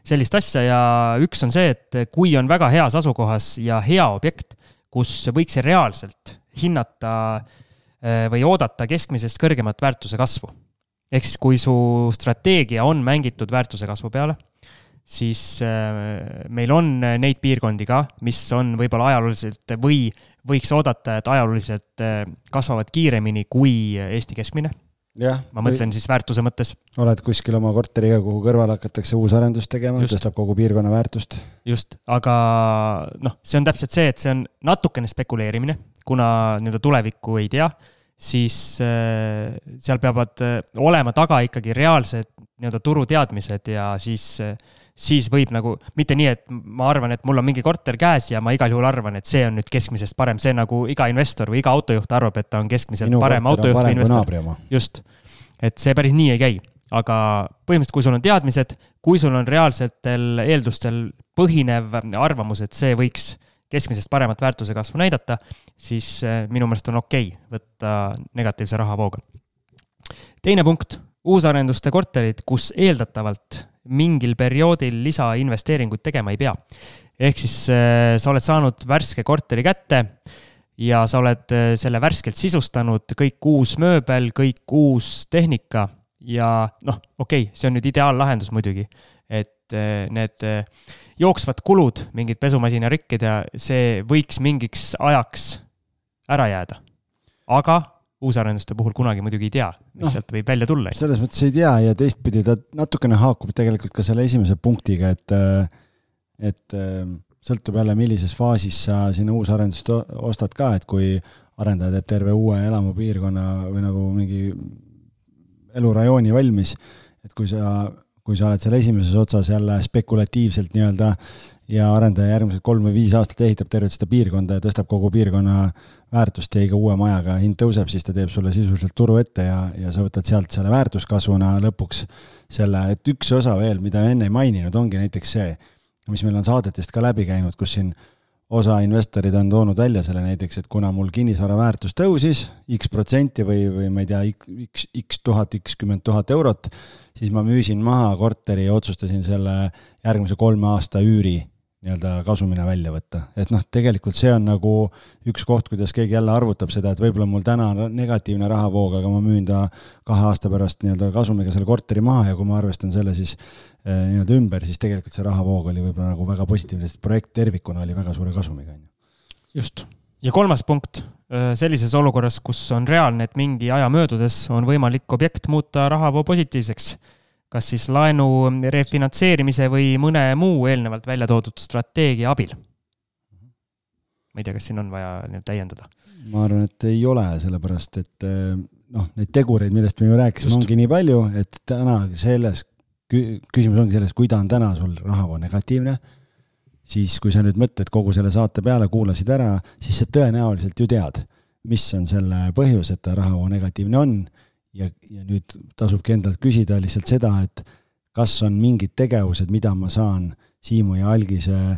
sellist asja ja üks on see, et kui on väga heas asukohas ja hea objekt, kus võiks reaalselt hinnata või oodata keskmisest kõrgemat väärtuse kasvu. Ehk siis, kui su strateegia on mängitud väärtuse kasvu peale, siis meil on neid piirkondi ka, mis on võib-olla ajalooliselt või võiks oodata, et ajalooliselt kasvavad kiiremini kui Eesti keskmine. Ja, ma mõtlen või... siis väärtuse mõttes. Oled kuskil oma korteriga, kuhu kõrval hakatakse uus arendust tegema, tõstab kogu piirkonna väärtust. Just, aga noh, see on täpselt see, et see on natukene spekuleerimine, kuna nii-öelda tulevikku ei tea, siis äh, seal peavad äh, olema taga ikkagi reaalsed nii-öelda turuteadmised ja siis, äh, siis võib nagu, mitte nii, et ma arvan, et mul on mingi korter käes ja ma igal juhul arvan, et see on nüüd keskmisest parem, see nagu iga investor või iga autojuht arvab, et ta on keskmiselt Minu parem autojuht või investor. Just, et see päris nii ei käi, aga põhimõtteliselt, kui sul on teadmised, kui sul on reaalsetel eeldustel põhinev arvamus, et see võiks keskmisest paremat väärtuse kasvu näidata, siis minu meelest on okei võtta negatiivse rahavooga. Teine punkt, uusarenduste korterid, kus eeldatavalt mingil perioodil lisainvesteeringuid tegema ei pea. Ehk siis sa oled saanud värske korteri kätte ja sa oled selle värskelt sisustanud, kõik uus mööbel, kõik uus tehnika ja noh, okei, see on nüüd ideaallahendus muidugi, et need jooksvad kulud, mingid pesumasina rikkid ja see võiks mingiks ajaks ära jääda. Aga uusarenduste puhul kunagi muidugi ei tea, mis no, sealt võib välja tulla. Selles mõttes ei tea ja teistpidi ta natukene haakub tegelikult ka selle esimese punktiga, et, et sõltub jälle, millises faasis sa sinna uusarendust ostad ka, et kui arendaja teeb terve uue elamupiirkonna või nagu mingi elurajooni valmis, et kui sa kui sa oled seal esimeses otsas jälle spekulatiivselt nii-öelda ja arendaja järgmised kolm või viis aastat ehitab tervet seda piirkonda ja tõstab kogu piirkonna väärtust ja iga uue majaga hind tõuseb, siis ta teeb sulle sisuliselt turu ette ja, ja sa võtad sealt selle väärtuskasvuna lõpuks selle, et üks osa veel, mida enne ei maininud, ongi näiteks see, mis meil on saadetest ka läbi käinud, kus siin osa investorid on toonud välja selle näiteks, et kuna mul kinnisvara väärtus tõusis x protsenti või, või ma ei tea, x, x tuhat, x kümmend tuhat eurot, siis ma müüsin maha korteri ja otsustasin selle järgmise kolme aasta üüri nii-öelda kasumina välja võtta. Et noh, tegelikult see on nagu üks koht, kuidas keegi jälle arvutab seda, et võib-olla mul täna on negatiivne rahavoog, aga ma müün ta kahe aasta pärast nii-öelda kasumiga selle korteri maha ja kui ma arvestan selle siis nii-öelda ümber, siis tegelikult see rahavoog oli võib-olla nagu väga positiivne, sest projekt tervikuna oli väga suure kasumiga. Just. Ja kolmas punkt, sellises olukorras, kus on reaalne, et mingi aja möödudes on võimalik objekt muuta rahavoo positiivseks, kas siis laenu refinantseerimise või mõne muu eelnevalt välja toodud strateegia abil. Ma ei tea, kas siin on vaja täiendada. Ma arvan, et ei ole, sellepärast, et noh, neid tegureid, millest me ju rääkisime, ongi nii palju, et täna selles küsimus ongi selles, kui ta on täna sul rahavoo negatiivne, siis kui sa nüüd mõtled kogu selle saate peale, kuulasid ära, siis sa tõenäoliselt ju tead, mis on selle põhjus, et ta rahavoo negatiivne on ja, ja nüüd tasubki endalt küsida lihtsalt seda, et kas on mingid tegevused, mida ma saan Siimu ja Algise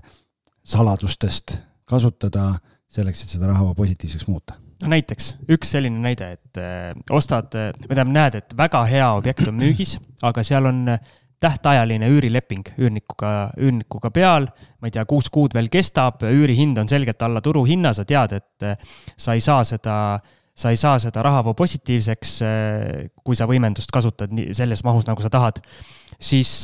saladustest kasutada selleks, et seda rahavoo positiivseks muuta. No näiteks, üks selline näide, et ostad, me tähendab näed, et väga hea objekt on müügis, aga seal on tähtajaline üürileping üürnikuga, üürnikuga peal, ma ei tea, kuus kuud veel kestab, üürihind on selgelt alla turuhinna, sa tead, et sa ei saa seda, sa ei saa seda rahavoo positiivseks, kui sa võimendust kasutad selles mahus, nagu sa tahad, siis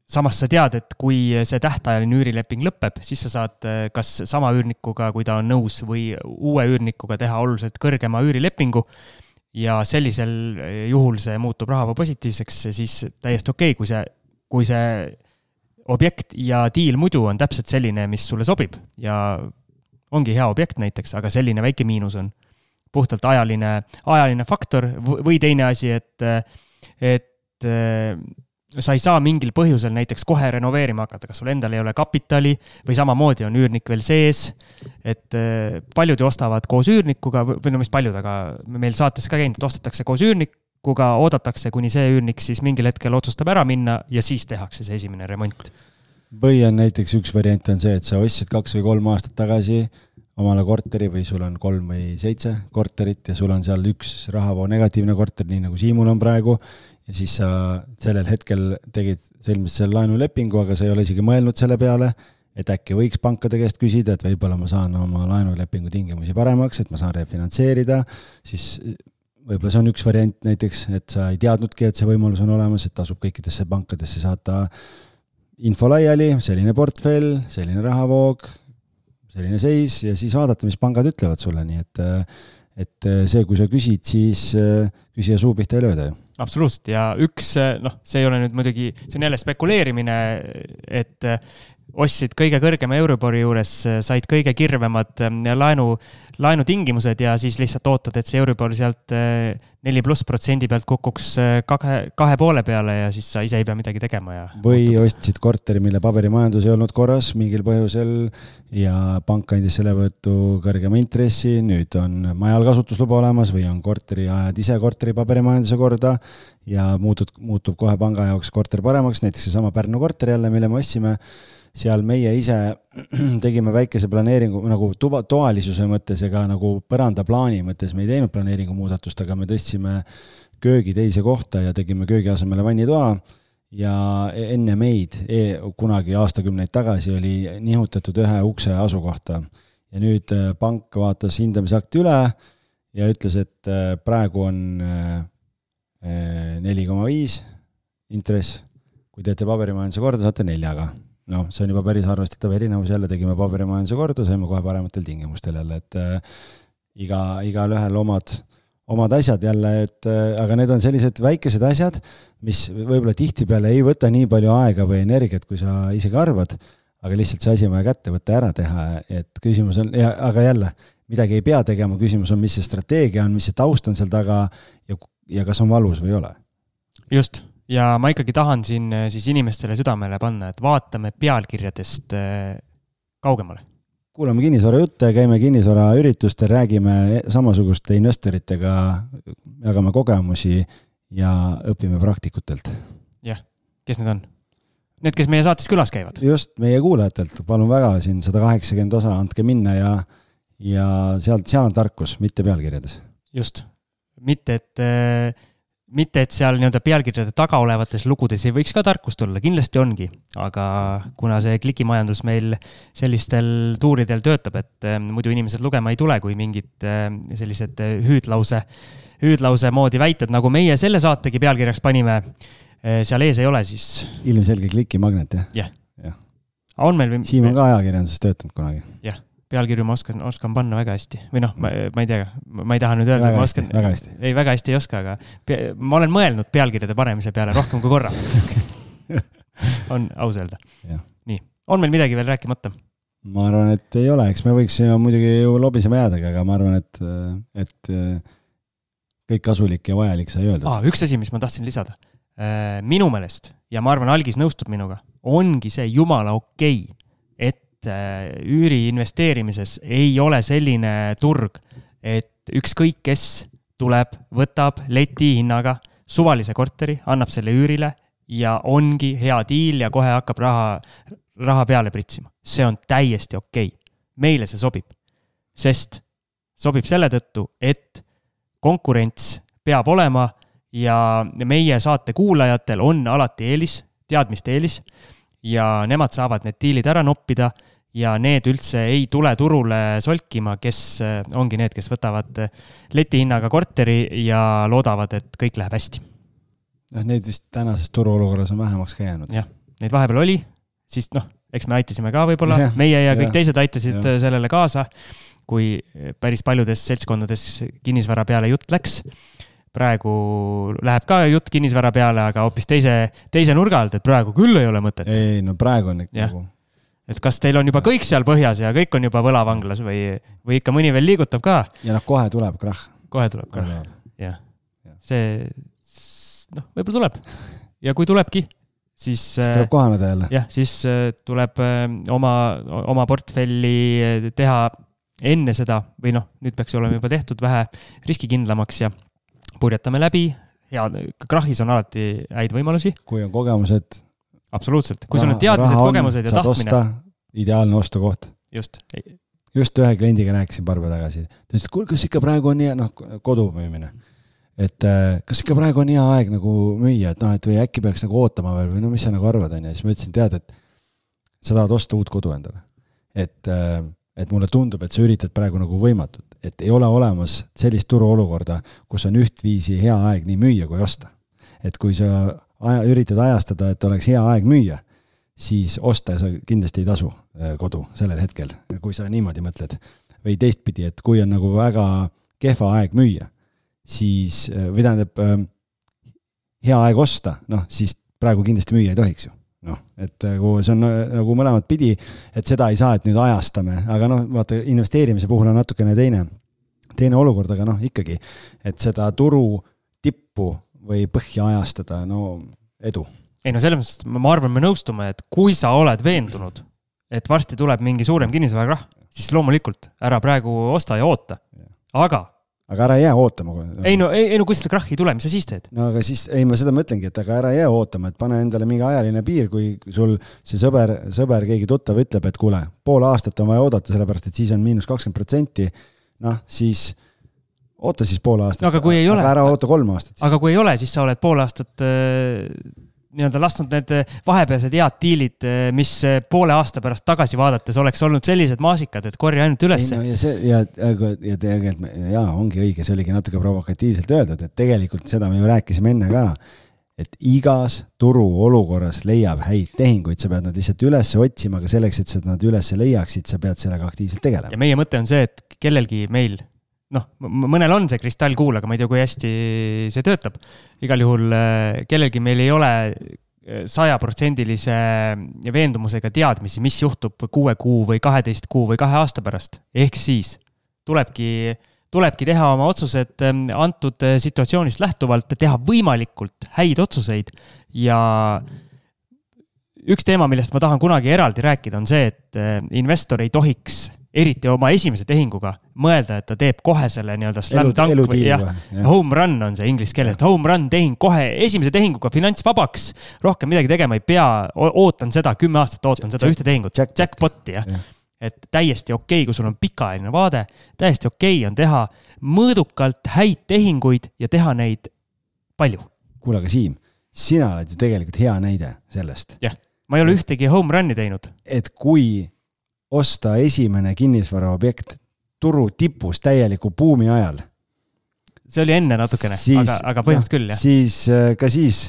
samas sa tead, et kui see tähtajaline üürileping lõpeb, siis sa saad kas sama üürnikuga, kui ta on nõus, või uue üürnikuga teha oluliselt kõrgema üürilepingu ja sellisel juhul see muutub rahavoo positiivseks, siis täiesti okei, kui see, kui see objekt ja diil muidu on täpselt selline, mis sulle sobib ja ongi hea objekt näiteks, aga selline väike miinus on puhtalt ajaline, ajaline faktor või teine asi, et, et sa ei saa mingil põhjusel näiteks kohe renoveerima hakata, kas sul endal ei ole kapitali või samamoodi on üürnik veel sees, et paljud ostavad koos üürnikuga, või no mis paljud, aga meil saates ka käinud, et ostetakse koos üürnikuga, oodatakse, kuni see üürnik siis mingil hetkel otsustab ära minna ja siis tehakse see esimene remont. Või on näiteks üks variant on see, et sa ostsid kaks või kolm aastat tagasi omale korteri või sul on kolm või seitse korterit ja sul on seal üks rahavoo negatiivne korter, nii nagu Siimul on praegu, ja siis sa sellel hetkel tegid selmis selle laenulepingu, aga sa ei ole isegi mõelnud selle peale, et äkki võiks pankade käest küsida, et võib-olla ma saan oma laenulepingu tingimusi paremaks, et ma saan refinantseerida, siis võib-olla see on üks variant näiteks, et sa ei teadnudki, et see võimalus on olemas, et tasub kõikidesse pankadesse saata info laiali, selline portfell, selline rahavoog, selline seis ja siis vaadata, mis pangad ütlevad sulle, nii et, et see, kui sa küsid, siis küsija suu pihta ei lööda ju. Absoluutselt ja üks, noh, see ei ole nüüd muidugi, see on jälle spekuleerimine, et ostsid kõige kõrgema Euribori juures, said kõige kirvemad laenu, laenutingimused ja siis lihtsalt ootad, et see Euribor sealt neli pluss protsendi pealt kukuks kahe, kahe poole peale ja siis sa ise ei pea midagi tegema. Ja või ostsid korteri, mille paberimajandus ei olnud korras mingil põhjusel ja pank andis selle võttu kõrgema intressi, nüüd on majal kasutusluba olemas või on korteri ajad ise korteri paberimajanduse korda ja muutub, muutub kohe panga jaoks korter paremaks, näiteks see sama Pärnu korter jälle, mille me ostsime, seal meie ise tegime väikese planeeringu nagu tuba, toalisuse mõttes ega nagu põrandaplaani mõttes me ei teinud planeeringu muudatust, aga me tõstsime köögi teise kohta ja tegime köögi asemele vannitoa ja enne meid e, kunagi aastakümneid tagasi oli nihutatud ühe ukse asukohta ja nüüd pank vaatas hindamisakti üle ja ütles, et praegu on neli koma viis intress, kui teete paberimajanduse korda, saate neljaga. noh, see on juba päris arvestatav erinevus, jälle tegime paberimajanduse korda, saime kohe parematel tingimustel jälle, et äh, iga, igal ühel omad, omad asjad jälle, et äh, aga need on sellised väikesed asjad, mis võib-olla tihtipeale ei võta nii palju aega või energiat, kui sa isegi arvad, aga lihtsalt see asi on vaja kätte võtta ära teha, et küsimus on, ja, aga jälle, midagi ei pea tegema, küsimus on, mis see strateegia on, mis see taust on seal taga ja, ja kas on valus või ei ole. Just. ja ma ikkagi tahan siin siis inimestele südamele panna, et vaatame pealkirjadest kaugemale. Kuulame kinnisvara jutte, käime kinnisvara üritustel, räägime samasuguste investoritega, jagame kogemusi ja õpime praktikutelt. Jah, kes need on? Need, kes meie saates külas käivad. Just, meie kuulajatelt, palun väga, siin sada kaheksakümmend osa, andke minna ja, ja seal, seal on tarkus, mitte pealkirjades. Just, mitte et, mitte et seal nii-öelda pealkirjade taga olevates lugudes ei võiks ka tarkust olla, kindlasti ongi, aga kuna see klikimajandus meil sellistel tuuridel töötab, et muidu inimesed lugema ei tule, kui mingid sellised hüüdlause, hüüdlause moodi väited, nagu meie selle saategi pealkirjaks panime, seal ees ei ole, siis... Ilmselge klikimagnet, jah? Jah. Ja. On meil... Siim on ka ajakirjanduses töötanud kunagi. Jah, pealkirju ma oskan, oskan panna väga hästi. Või noh, ma, ma ei tea, ma ei taha nüüd öelda, väga ma hästi, oskan... Väga hästi. Ei, väga hästi ei oska, aga pe... ma olen mõelnud pealkirjade panemise peale rohkem kui korra. On aus öelda. Ja. Nii, on meil midagi veel rääkimata? Ma arvan, et ei ole, eks me võiks muidugi ju lobisema jäädagi, aga ma arvan, et, et kõik kasulik ja vajalik sai öeldud. Ah, üks asi, mis ma tahtsin lisada. Minu meelest, ja ma arvan, Algis nõustub minuga, ongi see jumala okei, et üüri investeerimises ei ole selline turg, et ükskõik kes tuleb, võtab leti hinnaga suvalise korteri, annab selle üürile ja ongi hea diil ja kohe hakkab raha, raha peale pritsima. See on täiesti okei. Meile see sobib, sest sobib selle tõttu, et konkurents peab olema ja meie saate kuulajatel on alati eelis, teadmiste eelis ja nemad saavad need diilid ära noppida ja need üldse ei tule turule solkima, kes ongi need, kes võtavad letihinnaga korteri ja loodavad, et kõik läheb hästi. Neid vist tänases turuolukorras on vähemaks ka jäänud. Jah, neid vahepeal oli, siis noh, eks me aitasime ka võib-olla, ja, meie ja kõik ja, teised aitasid ja. Sellele kaasa, kui päris paljudes seltskondades kinnisvara peale jutt läks. Praegu läheb ka jutt kinnisvara peale, aga hoopis teise, teise nurga alt, et praegu küll ei ole mõtet. Ei, no praegu on ikka nagu... Et kas teil on juba kõik seal põhjas ja kõik on juba võlavanglas või, või ikka mõni veel liigutab ka? Ja noh, kohe tuleb krahh. Kohe tuleb krahh, jah. See, noh, võib-olla tuleb. Ja kui tulebki, siis... Siis tuleb kohaneda jälle. Jah, siis tuleb oma, oma portfelli teha enne seda, või noh, nüüd peaks olema juba tehtud vähe riskikindlamaks ja purjetame läbi, hea, krahhis on alati häid võimalusi. Kui on kogemused... Absoluutselt, kui sul on teadmised, kogemused ja tahtmine. Osta, ideaalne ostukoht. Just. Just ühe kliendiga rääkisin paar päeva tagasi. Ta ütles, et kas ikka praegu on hea, noh, kodu müümine. Et kas ikka praegu on hea aeg nagu müüa, et noh, et või äkki peaks nagu ootama veel või no mis sa nagu arvad on ja siis ma ütlesin, tead, et sa tahad osta uut kodu endale. Et, et mulle tundub, et sa üritad praegu nagu võimatut, et ei ole olemas sellist turuolukorda, kus on ühtviisi hea aeg nii müüa kui osta. Et kui sa aja, üritad ajastada, et oleks hea aeg müüa, siis osta sa kindlasti ei tasu kodu sellel hetkel, kui sa niimoodi mõtled. Või teistpidi, et kui on nagu väga kehva aeg müüa, siis, või tähendab hea aeg osta, noh, siis praegu kindlasti müüa ei tohiks ju. Noh, et kui see on nagu mõlemad pidi, et seda ei saa, et nüüd ajastame, aga noh, vaata, investeerimise puhul on natukene teine, teine olukord, aga noh, ikkagi, et seda turu tippu või põhja ajastada, no edu. Ei no selles mõttes, ma arvan, me nõustume, et kui sa oled veendunud, et varsti tuleb mingi suurem kinnisvara, siis loomulikult ära praegu osta ja oota. Aga Aga ära jää ootama. Ei no, ei, ei no kui seda krahhi ei tule, mis sa siis teed? No aga siis, ei ma seda mõtlengi, et aga ära jää ootama, et pane endale mingi ajaline piir, kui sul see sõber, sõber keegi tuttav ütleb, et kuule, pool aastat on vaja oodata, sellepärast, et siis on miinus kakskümmend protsenti, noh, siis oota siis pool aastat, no, aga, kui ei ole, aga ära oota kolm aastat. Aga kui ei ole, siis sa oled pool aastat äh, nii-öelda lasknud need vahepealsed head diilid, mis poole aasta pärast tagasi vaadates oleks olnud sellised maasikad, et korja ainult ülesse. Ei, no, ja, see, ja, ja tegelikult, jaa, ongi õige, see oligi natuke provokatiivselt öeldud, et tegelikult seda me ju rääkisime enne ka, et igas turu olukorras leiab häid tehinguid, sa pead nad lihtsalt üles otsima, aga selleks, et sa nad üles leiaksid, sa pead sellega aktiivselt tegelema. Ja meie mõte on see, et kellelgi meil noh, mõnel on see kristallkuul, aga ma ei tea, kui hästi see töötab. Igal juhul kellelgi meil ei ole sajaprotsendilise veendumusega teadmisi, mis juhtub kuue kuu või kaheteist kuu või kahe aasta pärast. Ehk siis tulebki, tulebki teha oma otsused antud situatsioonist lähtuvalt, teha võimalikult häid otsuseid ja üks teema, millest ma tahan kunagi eraldi rääkida, on see, et investor ei tohiks eriti oma esimese tehinguga mõelda, et ta teeb kohe selle nii-öelda slam dunk või jah, home run on see inglise keeles, home run tehing kohe esimese tehinguga finantsvabaks, rohkem midagi tegema ei pea, ootan seda, kümme aastat ootan seda ühte tehingut, jackpoti, jah. Et täiesti okei, kui sul on pikaajaline vaade, täiesti okei on teha mõõdukalt häid tehinguid ja teha neid palju. Kuule, aga Siim, sina oled ju tegelikult hea näide sellest. Jah, ma ei ole ühtegi home run'i teinud. Et kui osta esimene kinnisvara objekt turu tipus täieliku buumi ajal. See oli enne natukene, siis, aga, aga põhimõtteliselt küll, jah. Siis, ka siis...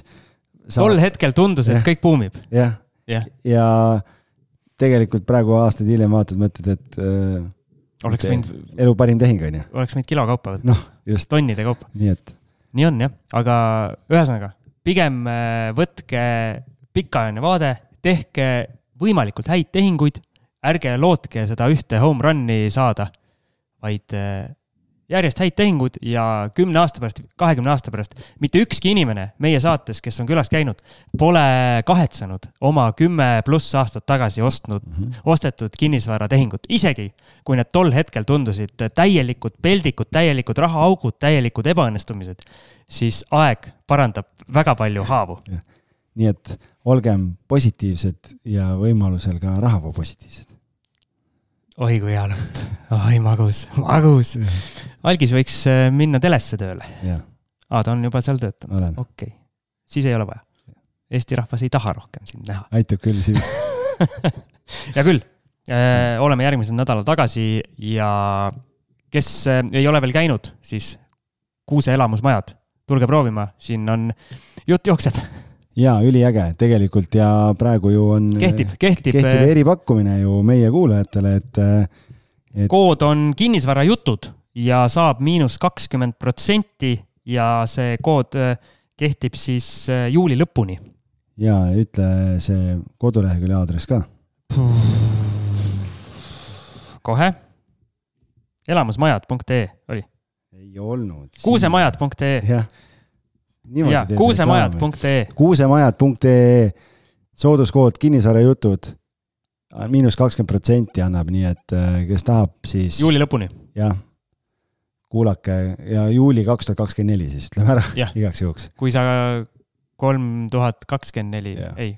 Saab... Tol hetkel tundus, et ja, kõik buumib. Jah, ja. ja tegelikult praegu aastaid hiljem vaatad, mõtled, et oleks et mind... elu parim tehing on, ja. Oleks võinud kilo kaupa võtta. No, just. Tonnide kaupa. Nii, et... Nii on, jah. Aga ühesõnaga, pigem võtke pikaajaline vaade, tehke võimalikult häid tehinguid, ärge lootke seda ühte home run'i saada, vaid järjest häid tehingud ja kümne aasta pärast, kahekümne aasta pärast mitte ükski inimene meie saates, kes on külas käinud, pole kahetsanud oma kümme pluss aastat tagasi ostnud, mm-hmm. ostetud kinnisvara tehingut. Isegi kui need tol hetkel tundusid täielikud peldikud, täielikud rahaaugud, täielikud ebaõnnestumised, siis aeg parandab väga palju haavu. Ja. Nii et olgem positiivsed ja võimalusel ka rahavoo positiivsed. Oi kui hea lõpp. Oi, magus, magus. Algis võiks minna telesse tööle. Ja. Aa, ta on juba seal töötanud. Okei. Okay. Siis ei ole vaja. Eesti rahvas ei taha rohkem sind näha. Aitab küll siin. Ja küll. Äh, oleme järgmised nädala tagasi ja kes ei ole veel käinud, siis Kuuse elamusmajad. Tulge proovima. Siin on jutt jookseb. Jaa, üliäge tegelikult ja praegu ju on kehtib, kehtib, kehtib eripakkumine ju meie kuulajatele, et, et kood on kinnisvara jutud ja saab miinus kakskümmend protsenti ja see kood kehtib siis juuli lõpuni. Ja ütle see kodulehekülje aadress ka. Kohe. elamusmajad punkt ee oli. Ei olnud. kuusemajad punkt ee. Jah. Ja, kuusemajad punkt ee. kuusemajad punkt ee sooduskood kinnisvara jutud miinus kakskümmend protsenti annab, nii et kes tahab, siis juuli lõpuni. Jah, kuulake ja juuli kaks tuhat kakskümmend neli siis ütleme ära ja. Igaks juhuks. Kui sa kolm tuhat kakskümmend neli, ja. Ei.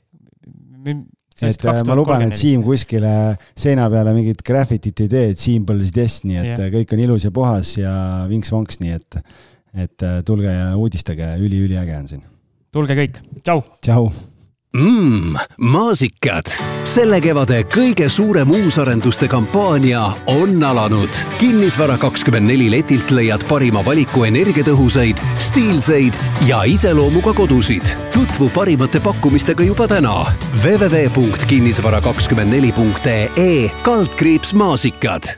Et ma luban, et Siim kuskile seina peale mingit graffitit ei tee, et Simple this, nii et ja. Kõik on ilus ja puhas ja vinks-vonks, nii et et tulge ja uudistage, üli-üli äge on siin. Tulge kõik. Tšau. Tšau. Mmm, maasikad. Selle kevade kõige suurem uusarenduste kampaania on alanud. Kinnisvara kakskümmend neli letilt leiad parima valiku energiatõhusaid, stiilseid ja iseloomuga kodusid. Tutvu parimate pakkumistega juba täna. w w w punkt kinnisvara kakskümmend neli punkt ee kaldkriips maasikad.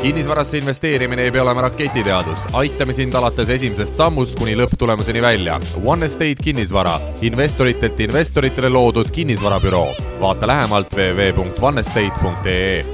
Kinnisvarasse investeerimine ei pea olema raketiteadus. Aitame sind alates esimesest sammust kuni lõpptulemuseni välja. One Estate kinnisvara. Investoritelt investoritele loodud kinnisvarabüroo. Vaata lähemalt w w w punkt one estate punkt ee.